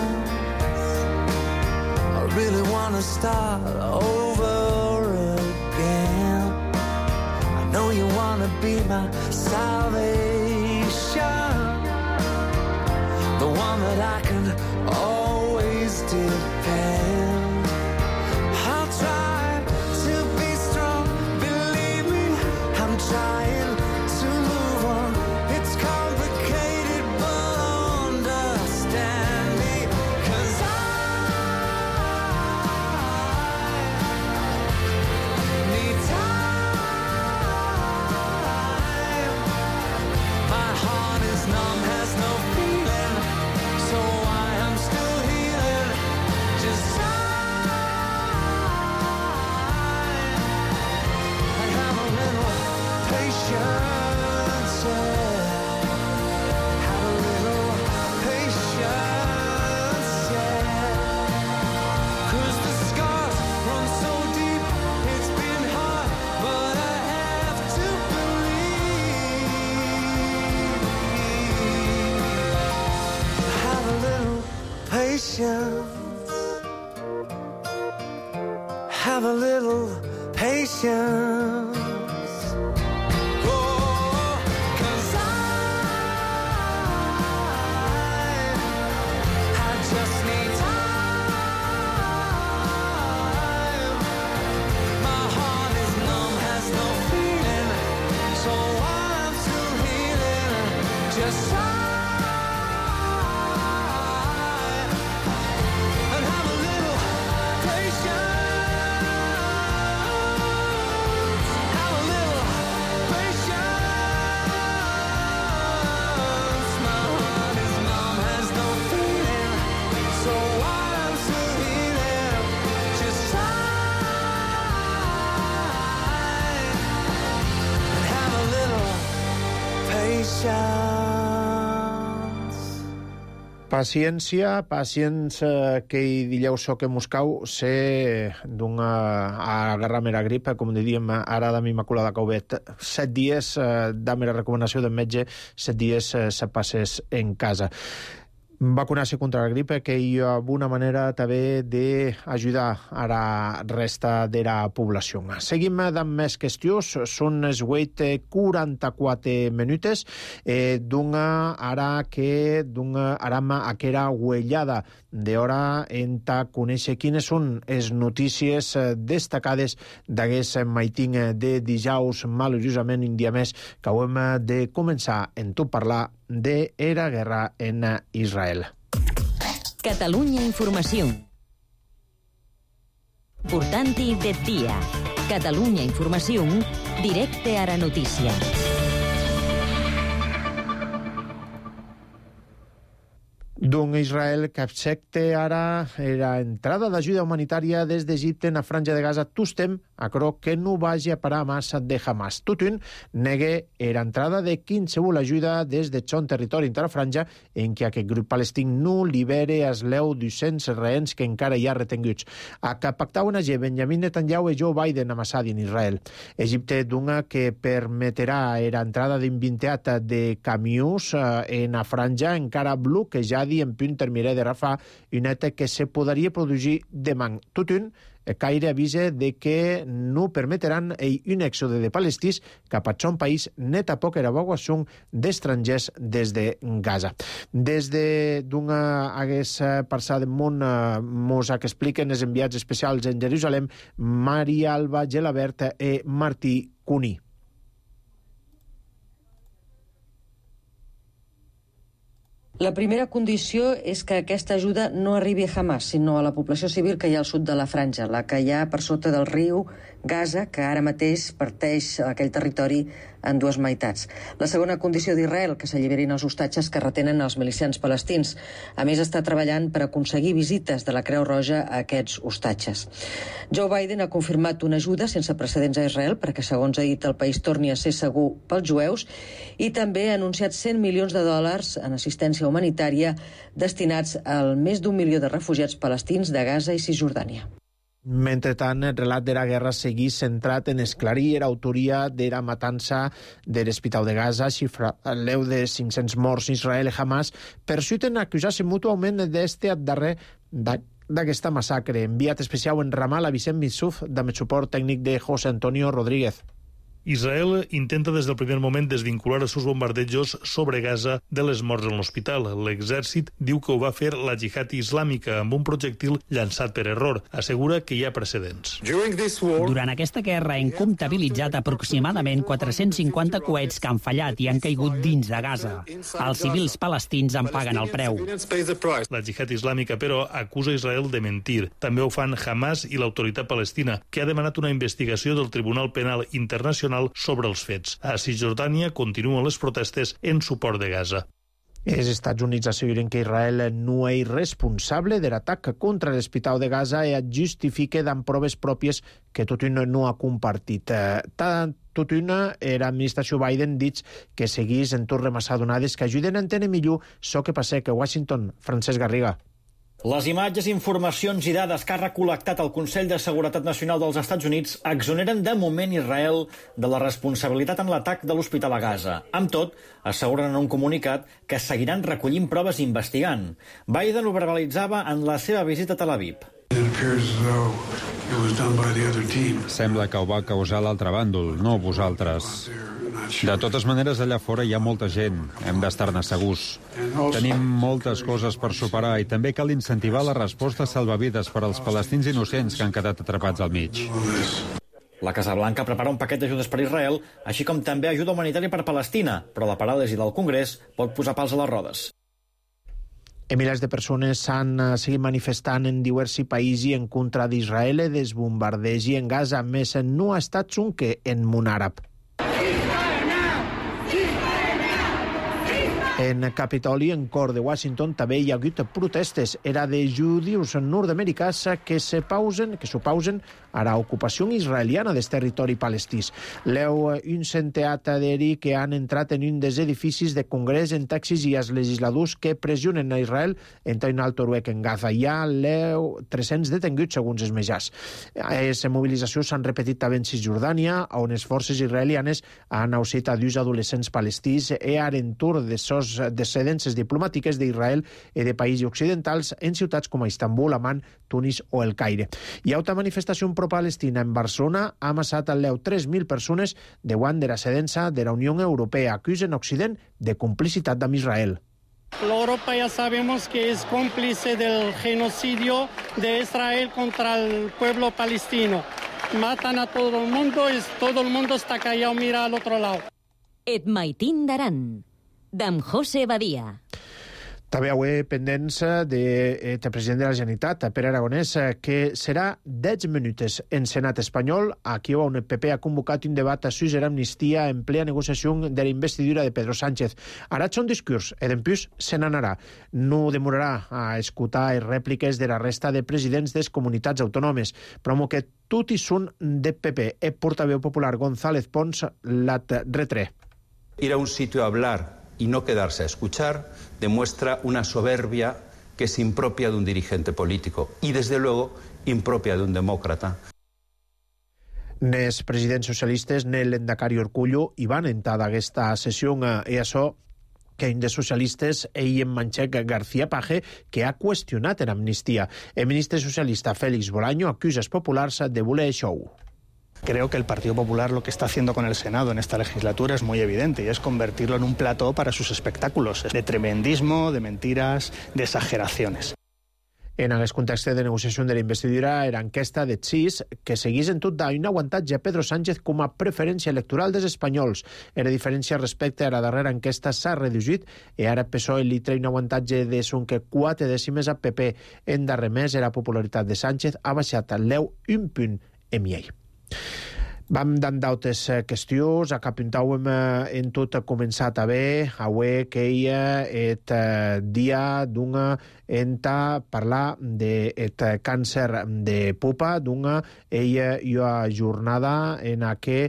Speaker 7: I really want to start over again. I know you want to be my salvation, the one that I can always depend. I'll try to be strong, believe me, I'm trying to move on. It's complicated, but understand me, 'cause I need time. My heart is numb, has no feeling, so I am still healing. Just time and have a little patience, yeah. Have a little patience, yeah. 'Cause the scars run so deep, it's been hard, but I have to believe. Have a little patience. Have a little patience. Oh, 'cause I just need time. My heart is numb, has no feeling, so I'm still healing. Just try and have a little patience. Have a little patience. My heart is numb, has no feeling, so I'm still healing. Just try and have a little patience.
Speaker 1: Paciència que dilheu so que Moscou se a guerra mera grip, com diríem ara d'am Immaculada Caubet. 7 dies d'am la recomanació del metge, 7 dies se passes en casa. Vacunar-se contra la grip, que hi ha una manera també d'ajudar a la resta de la població. Seguim amb més qüestions. Són les 8:44 minutes. Ara aram aquera huellada d'hora en conèixer quines són les notícies destacades d'aquest maiting de dijous, malauradament un dia més, que hem de començar en tot parlar de la guerra en Israel.
Speaker 2: Catalunya Informació. Portant-hi del dia. Catalunya Informació, directe a la notícia.
Speaker 1: Israel que accepta ara la entrada d'ajuda humanitària des d'Egipte en la franja de Gaza tostem a croc que no vagi a parar massa de Hamas. Tutun negue l'entrada de qualsevol ajuda des de son territori inter la franja en què aquest grup palestí no libere els 200 rehens que encara hi ha retenguts. A que pactauen a Benjamin Netanyahu i Joe Biden amb Assad en Israel. Egipte dunga que permetrà l'entrada d'un 20 de camions en la franja encara bloquejada en punt terminarà de Rafah, un acte que se podria produir demà. Tutun, Caire avisa de que no permetran un èxode de palestins cap a son país net a poc evacuació d'estrangers des de Gaza. Des de hagués passat del món mos que expliquen els enviats especials en Jerusalem, Maria Alba Gelabert i Martí Cuní.
Speaker 8: La primera condició és que aquesta ajuda no arribi a Hamas, sinó a la població civil que hi ha al sud de la franja, la que hi ha per sota del riu Gaza, que ara mateix parteix aquell territori en dues meitats. La segona condició d'Israel, que s'alliberin els hostatges que retenen els milicians palestins. A més, està treballant per aconseguir visites de la Creu Roja a aquests hostatges. Joe Biden ha confirmat una ajuda sense precedents a Israel perquè, segons ha dit, el país torni a ser segur pels jueus i també ha anunciat $100 milions en assistència humanitària destinats al més d'1 milió de refugiats palestins de Gaza i Cisjordània.
Speaker 1: Mentrestant, el relat de la guerra seguís centrat en esclarir l'autoria de la matança de l'Hospital de Gaza, xifra l'eu de 500 morts Israel i Hamas, persuiten acusar-se mútuament d'este darrer d'aquesta massacre. Enviat especial en Ramallah, Vicent Missuf, amb el suport tècnic de José Antonio Rodríguez.
Speaker 9: Israel intenta des del primer moment desvincular els seus bombardejos sobre Gaza de les morts en l'hospital. L'exèrcit diu que ho va fer la jihad islàmica amb un projectil llançat per error. Assegura que hi ha precedents.
Speaker 10: Durant aquesta guerra hem comptabilitzat aproximadament 450 coets que han fallat i han caigut dins de Gaza. Els civils palestins en paguen el preu.
Speaker 9: La jihad islàmica, però, acusa Israel de mentir. També ho fan Hamas i l'autoritat palestina, que ha demanat una investigació del Tribunal Penal Internacional sobre els fets. A Cisjordània continuen les protestes en suport de Gaza.
Speaker 1: Els Estats Units asseguren que Israel no és responsable de l'atac contra l'Hospital de Gaza i et justifica amb proves pròpies que Tutun no ha compartit. Tutun, l'administració Biden, dit que seguís en tot remassar donades que ajuden a entendre millor això que passa a Washington. Francesc Garriga.
Speaker 11: Les imatges, informacions i dades que ha recol·lectat el Consell de Seguretat Nacional dels Estats Units exoneren de moment Israel de la responsabilitat en l'atac de l'Hospital a Gaza. Amb tot, asseguren en un comunicat que seguiran recollint proves i investigant. Biden ho verbalitzava en la seva visita a Tel Aviv.
Speaker 12: Sembla que ho va causar l'altre bàndol, no vosaltres. De totes maneres, allà fora hi ha molta gent. Hem d'estar-ne segurs. Tenim moltes coses per superar i també cal incentivar la resposta salvavides per als palestins innocents que han quedat atrapats al mig.
Speaker 11: La Casa Blanca prepara un paquet d'ajudes per Israel, així com també ajuda humanitària per Palestina, però la paràlisi del Congrés pot posar pals a les rodes.
Speaker 1: Milers de persones s'han seguit manifestant en diversos països en contra d'Israel i dels bombardejos en Gaza, més no ha estat un que en món àrab. En Capitoli, en cor de Washington, també hi ha hagut protestes. Era de judius nord-americans que s'opausen a l'ocupació israeliana del territori palestí. Leu un centeat aderi que han entrat en un dels edificis de Congrés en Texas i els legisladors que pressionen a Israel en un alto ruec en Gaza. Hi ha 300 detenguts, segons els metges. Les mobilitzacions s'han repetit també en Cisjordània, on les forces israelianes han ausit a 2 adolescents palestins i a l'entorn de sos descendències diplomàtiques d'Israel i de països occidentals en ciutats com Istanbul, Amman, Tunis o el Caire. Hi ha una manifestació pro-palestina en Barcelona, ha amassat al 3.000 persones davant de la cedença de la Unió Europea. Acusen Occident de complicitat amb Israel.
Speaker 13: Europa ya sabemos que es cómplice del genocidio de Israel contra el pueblo palestino. Matan a todo el mundo y todo el mundo está callado, mira al otro lado.
Speaker 2: Et maitin d'aran, d'en José Badia.
Speaker 1: També avui pendents del president de la Generalitat, Pere Aragonès, que serà 10 minuts en Senat espanyol. Aquí on el PP ha convocat un debat a suïs d'amnistia en plena negociació de la investidura de Pedro Sánchez. Ara un discurs, i d'empús se n'anarà. No demorarà a escoltar les rèpliques de la resta de presidents de les comunitats autònomes, però que tot i són de PP. El portaveu popular González Pons l'ha retré.
Speaker 14: Ir a un sitio a hablar y no quedarse a escuchar demuestra una soberbia que es impropia de un dirigente político y, desde luego, impropia de un demócrata.
Speaker 1: Els presidents socialistes, Nel Endacari Orcullo, hi van entrar d'aquesta sessió i això que un dels socialistes, en Manchec García Page, que ha qüestionat l'amnistia. El ministre socialista Félix Bolaño acusa els populars de voler show.
Speaker 15: Creo que el Partido Popular lo que está haciendo con el Senado en esta legislatura es muy evidente y es convertirlo en un plató para sus espectáculos de tremendismo, de mentiras, de exageraciones.
Speaker 1: En aquest context de negociació de la investidura, era enquesta de CIS que seguís en tot d'un aguantatge a Pedro Sánchez com a preferència electoral dels espanyols. La diferència respecte a la darrera enquesta s'ha reduït i ara PSOE li treu un aguantatge de sonque 4 dècimes a PP. En darrer mes, la popularitat de Sánchez ha baixat al 1 punt en miei. Vam dan d'altres qüestions, apuntàvem en tot començat a bé, avui que hi ha el dia d'una enta parlar del càncer de pupa, d'una jornada en què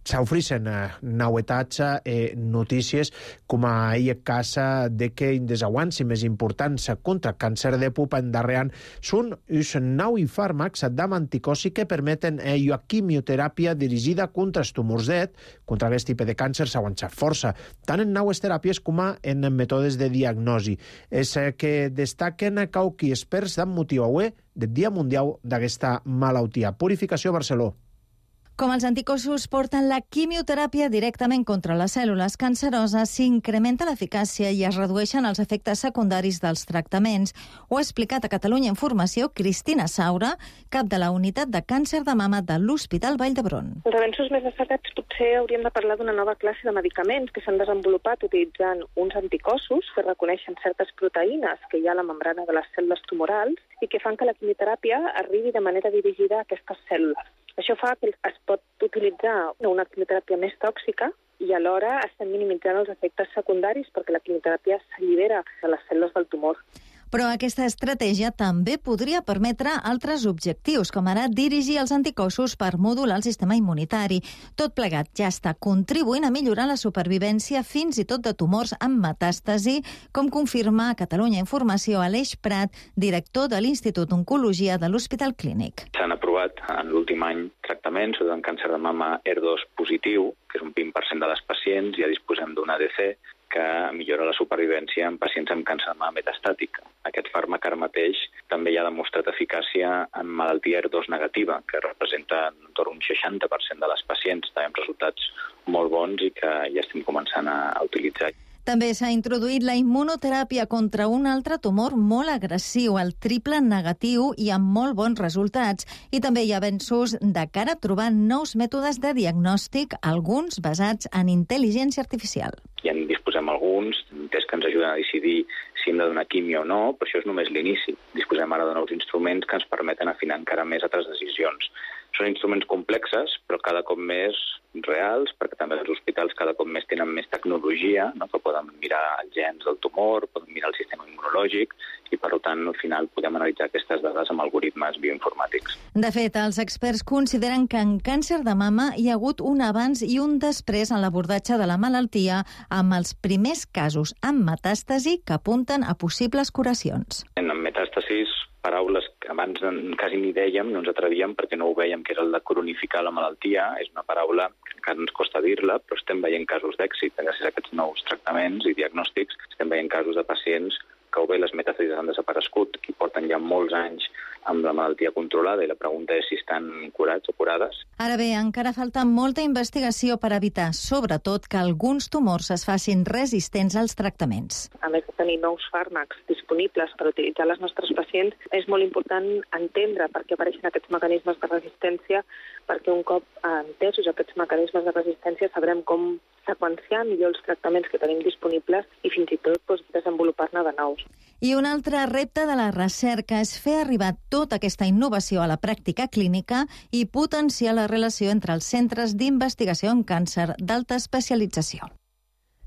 Speaker 1: s'ofereixen novetats i notícies com a el cas de que un dels avanços més importants contra el càncer de pupa en darrer any són els nous fàrmacs d'anticossi que permeten la quimioteràpia dirigida contra els tumors d'et. Contra aquest tipus de càncer s'ha avançat força, tant en noves teràpies com en mètodes de diagnosi. És que destaquen cauqui experts amb motiu avui del Dia Mundial d'aquesta malaltia. Purificació Barcelona.
Speaker 16: Com els anticossos porten la quimioteràpia directament contra les cèl·lules canceroses, s'incrementa l'eficàcia i es redueixen els efectes secundaris dels tractaments. Ho ha explicat a Catalunya Informació Cristina Saura, cap de la unitat de càncer de mama de l'Hospital Vall d'Hebron.
Speaker 17: Els avenços més destacats potser hauríem de parlar d'una nova classe de medicaments que s'han desenvolupat utilitzant uns anticossos que reconeixen certes proteïnes que hi ha a la membrana de les cèl·lules tumorals i que fan que la quimioteràpia arribi de manera dirigida a aquestes cèl·lules. Això fa que es pot utilitzar una quimioteràpia més tòxica i alhora estem minimitzant els efectes secundaris perquè la quimioteràpia s'allibera de les cèl·lules del tumor.
Speaker 16: Però aquesta estratègia també podria permetre altres objectius, com ara dirigir els anticossos per modular el sistema immunitari. Tot plegat ja està contribuint a millorar la supervivència fins i tot de tumors amb metàstasi, com confirma a Catalunya Informació Aleix Prat, director de l'Institut d'Oncologia de l'Hospital Clínic.
Speaker 18: S'han aprovat en l'últim any tractaments sobre un càncer de mama HER2 positiu, que és un 20% de les pacients, ja disposem d'un ADC que millora la supervivència en pacients amb càncer de mama metastàtic. Aquest fàrmac ara mateix també ja ha demostrat eficàcia en malaltia HER2 negativa, que representa entorn un 60% de les pacients, també amb resultats molt bons i que ja estem començant a utilitzar.
Speaker 16: També s'ha introduït la immunoteràpia contra un altre tumor molt agressiu, el triple negatiu, i amb molt bons resultats. I també hi ha avenços de cara a trobar nous mètodes de diagnòstic, alguns basats en intel·ligència artificial.
Speaker 18: Ja en disposem alguns, que ens ajuden a decidir si hem de donar quimio o no, però això és només l'inici. Disposem ara de nous instruments que ens permeten afinar encara més altres decisions Són instruments complexes, però cada cop més reals, perquè també els hospitals cada cop més tenen més tecnologia, no? Que poden mirar els gens del tumor, poden mirar el sistema immunològic, i per tant, al final, podem analitzar aquestes dades amb algoritmes bioinformàtics.
Speaker 16: De fet, els experts consideren que en càncer de mama hi ha hagut un abans i un després en l'abordatge de la malaltia, amb els primers casos amb metàstasi que apunten a possibles curacions.
Speaker 18: En metàstasis, paraules que abans quasi ni dèiem, no ens atrevíem perquè no ho vèiem, que era el de cronificar la malaltia. És una paraula que encara ens costa dir-la, però estem veient casos d'èxit. Gràcies a aquests nous tractaments i diagnòstics, estem veient casos de pacients que o bé les metàstasis han desaparegut i porten ja molts anys amb la malaltia controlada, i la pregunta és si estan curats o curades.
Speaker 16: Ara bé, encara falta molta investigació per evitar, sobretot, que alguns tumors es facin resistents als tractaments.
Speaker 17: A més de tenir nous fàrmacs disponibles per utilitzar a les nostres pacients, és molt important entendre per què apareixen aquests mecanismes de resistència, perquè un cop entesos aquests mecanismes de resistència sabrem com seqüenciar millor els tractaments que tenim disponibles i fins i tot desenvolupar-ne de nous.
Speaker 16: I un altre repte de la recerca és fer arribar tota aquesta innovació a la pràctica clínica i potenciar la relació entre els centres d'investigació en càncer d'alta especialització.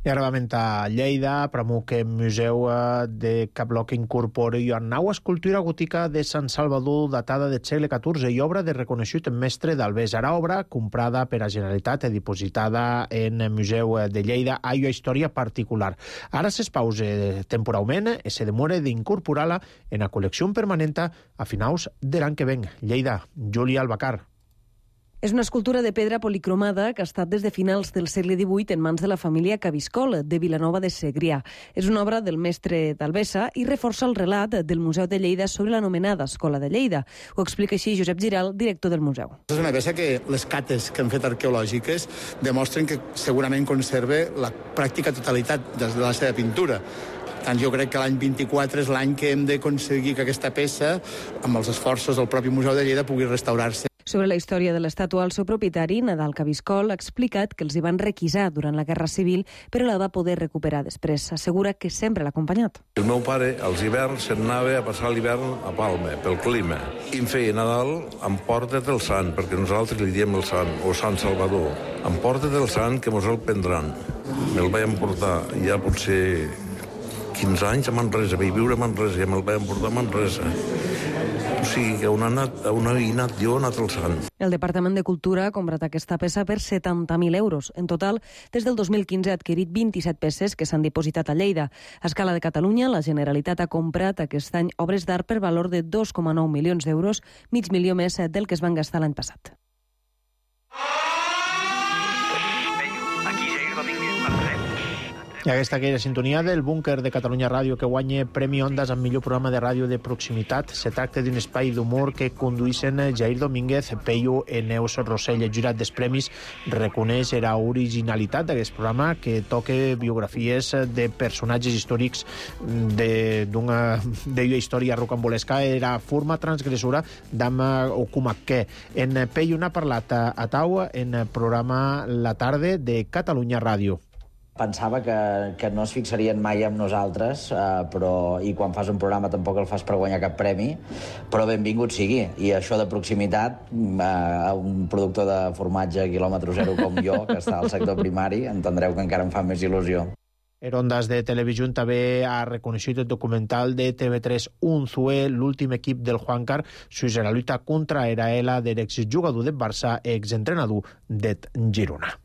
Speaker 1: I ara vam a Lleida, premu que Museu de Caploc incorpora una nova escultura gòtica de Sant Salvador datada del segle XIV i obra de reconegut mestre d'Albés. Ara obra comprada per a Generalitat i dipositada en el Museu de Lleida a una història particular. Ara s'espausa temporalment i se demora d'incorporar-la en la col·lecció permanent a finals de l'any que ven. Lleida, Júlia Albacar.
Speaker 19: És una escultura de pedra policromada que ha estat des de finals del segle XVIII en mans de la família Cabiscol, de Vilanova de Segrià. És una obra del mestre d'Albessa i reforça el relat del Museu de Lleida sobre l'anomenada Escola de Lleida. Ho explica així Josep Giral, director del museu.
Speaker 20: És una peça que les cates que han fet arqueològiques demostren que segurament conserva la pràctica totalitat de la seva pintura. Tant jo crec que l'any 24 és l'any que hem d'aconseguir que aquesta peça, amb els esforços del propi Museu de Lleida, pugui restaurar-se.
Speaker 19: Sobre la història de l'estàtua, el seu propietari, Nadal Cabiscol, ha explicat que els hi van requisar durant la Guerra Civil, però la va poder recuperar després. Assegura que sempre l'ha acompanyat.
Speaker 21: El meu pare, als hiverns, se'n anava a passar l'hivern a Palma, pel clima. I em feia Nadal, emporta't el sant, perquè nosaltres li diem el sant, o Sant Salvador. Emporta't el sant, que mos el prendran. Me'l vaig emportar ja potser 15 anys a Manresa, vaig viure a Manresa, i me'l vaig emportar a Manresa. O sigui, que on havia anat jo, ha anat el sant.
Speaker 19: El Departament de Cultura ha comprat aquesta peça per 70.000 euros. En total, des del 2015 ha adquirit 27 peces que s'han dipositat a Lleida. A escala de Catalunya, la Generalitat ha comprat aquest any obres d'art per valor de 2,9 milions d'euros, mig milió més del que es van gastar l'any passat.
Speaker 1: I aquesta que era sintonia del búnquer de Catalunya Ràdio que guanya Premi Ondas amb millor programa de ràdio de proximitat. Se tracta d'un espai d'humor que conduïssin Jair Domínguez, Peyu i Neus Rossell. El jurat dels premis reconeix la originalitat d'aquest programa que toca biografies de personatges històrics d'una història rocambolesca. Era forma transgressora d'Ama Okumakke. En Peyu n'ha parlat a Tau en el programa La Tarde de Catalunya Ràdio.
Speaker 22: Pensava que no es fixarien mai amb nosaltres, i quan fas un programa tampoc el fas per guanyar cap premi, però benvingut sigui. I això de proximitat, un productor de formatge quilòmetre zero com jo, que està al sector primari, entendreu que encara em fa més il·lusió.
Speaker 1: En Ondas de Televisió també ha reconegut el documental de TV3 Unzué, l'últim equip del Juancar, sobre la lluita contra Eraela de l'exjugador del Barça i exentrenador del Girona.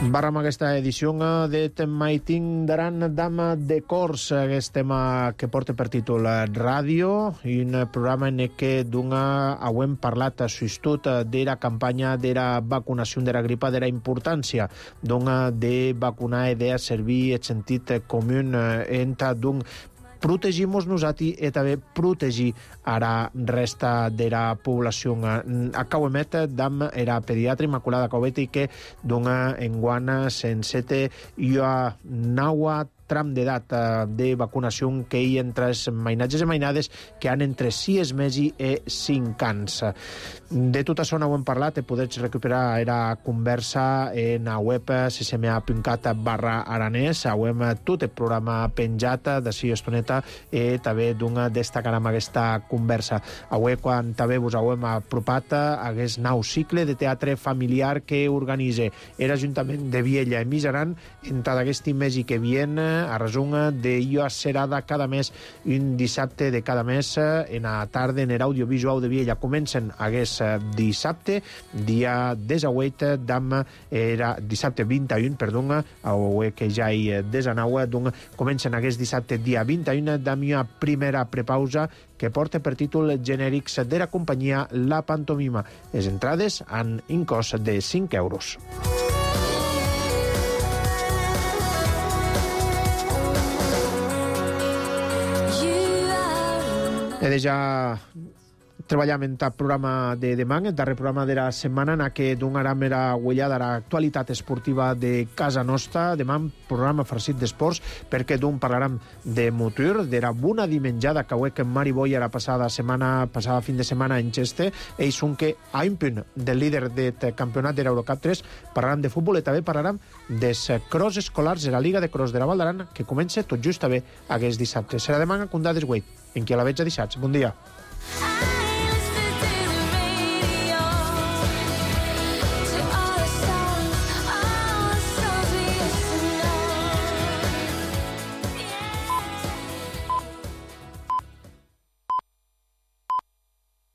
Speaker 1: Barram aquesta edició de Temaiting d'Aran Dama de Cors, aquest tema que porta per títol Ràdio, i un programa en què hem parlat sostut de la campanya de la vacunació de la gripa, de la importància de vacunar i de servir el sentit comú entre protegimos nosaltres i també protegir a la resta de la població. Acauemet dam era pediatra Immaculada Caubeti que enguana sencete i a naua tram d'edat de vacunació que hi entre els mainatges i mainades que han entre 6 mesos i 5 anys. De tot això no ho hem parlat, podeu recuperar la conversa en la web ccma.cat/aranès. Hem tot el programa penjat d'ací estoneta i també destacarem aquesta conversa. Avui, quan també vos hem apropat a aquest nou cicle de teatre familiar que organitza l'Ajuntament de Viella i Mijaran en tot aquest mes que vien a resum d'Io Serada cada mes, un dissabte de cada mes en la tarda en l'audiovisual de Viella. Comencen aquest dissabte, dia 18 dissabte 21, que ja hi 19, comencen aquest dissabte dia 21 d'una primera prepausa que porta per títol genèrics de la companyia La Pantomima. Les entrades han un cost de 5 euros. He de ja treballam en el programa de demà, el darrer programa de la setmana, en què donarem la ullada a l'actualitat esportiva de casa nostra. Demà programa farcit d'esports, perquè d'un parlarem de motor, de la bona dimenjada que avui que Mari Boia la passada fin de setmana en Xeste. Ells són que a un punt del líder del campionat de l'Eurocup 3 parlarem de futbol i també parlarem dels cross escolars de la Liga de Cross de la Val d'Aran, que comença tot just també aquest dissabte. Serà demà a Condades Güell, en qui a la veig a dissabte. Bon dia.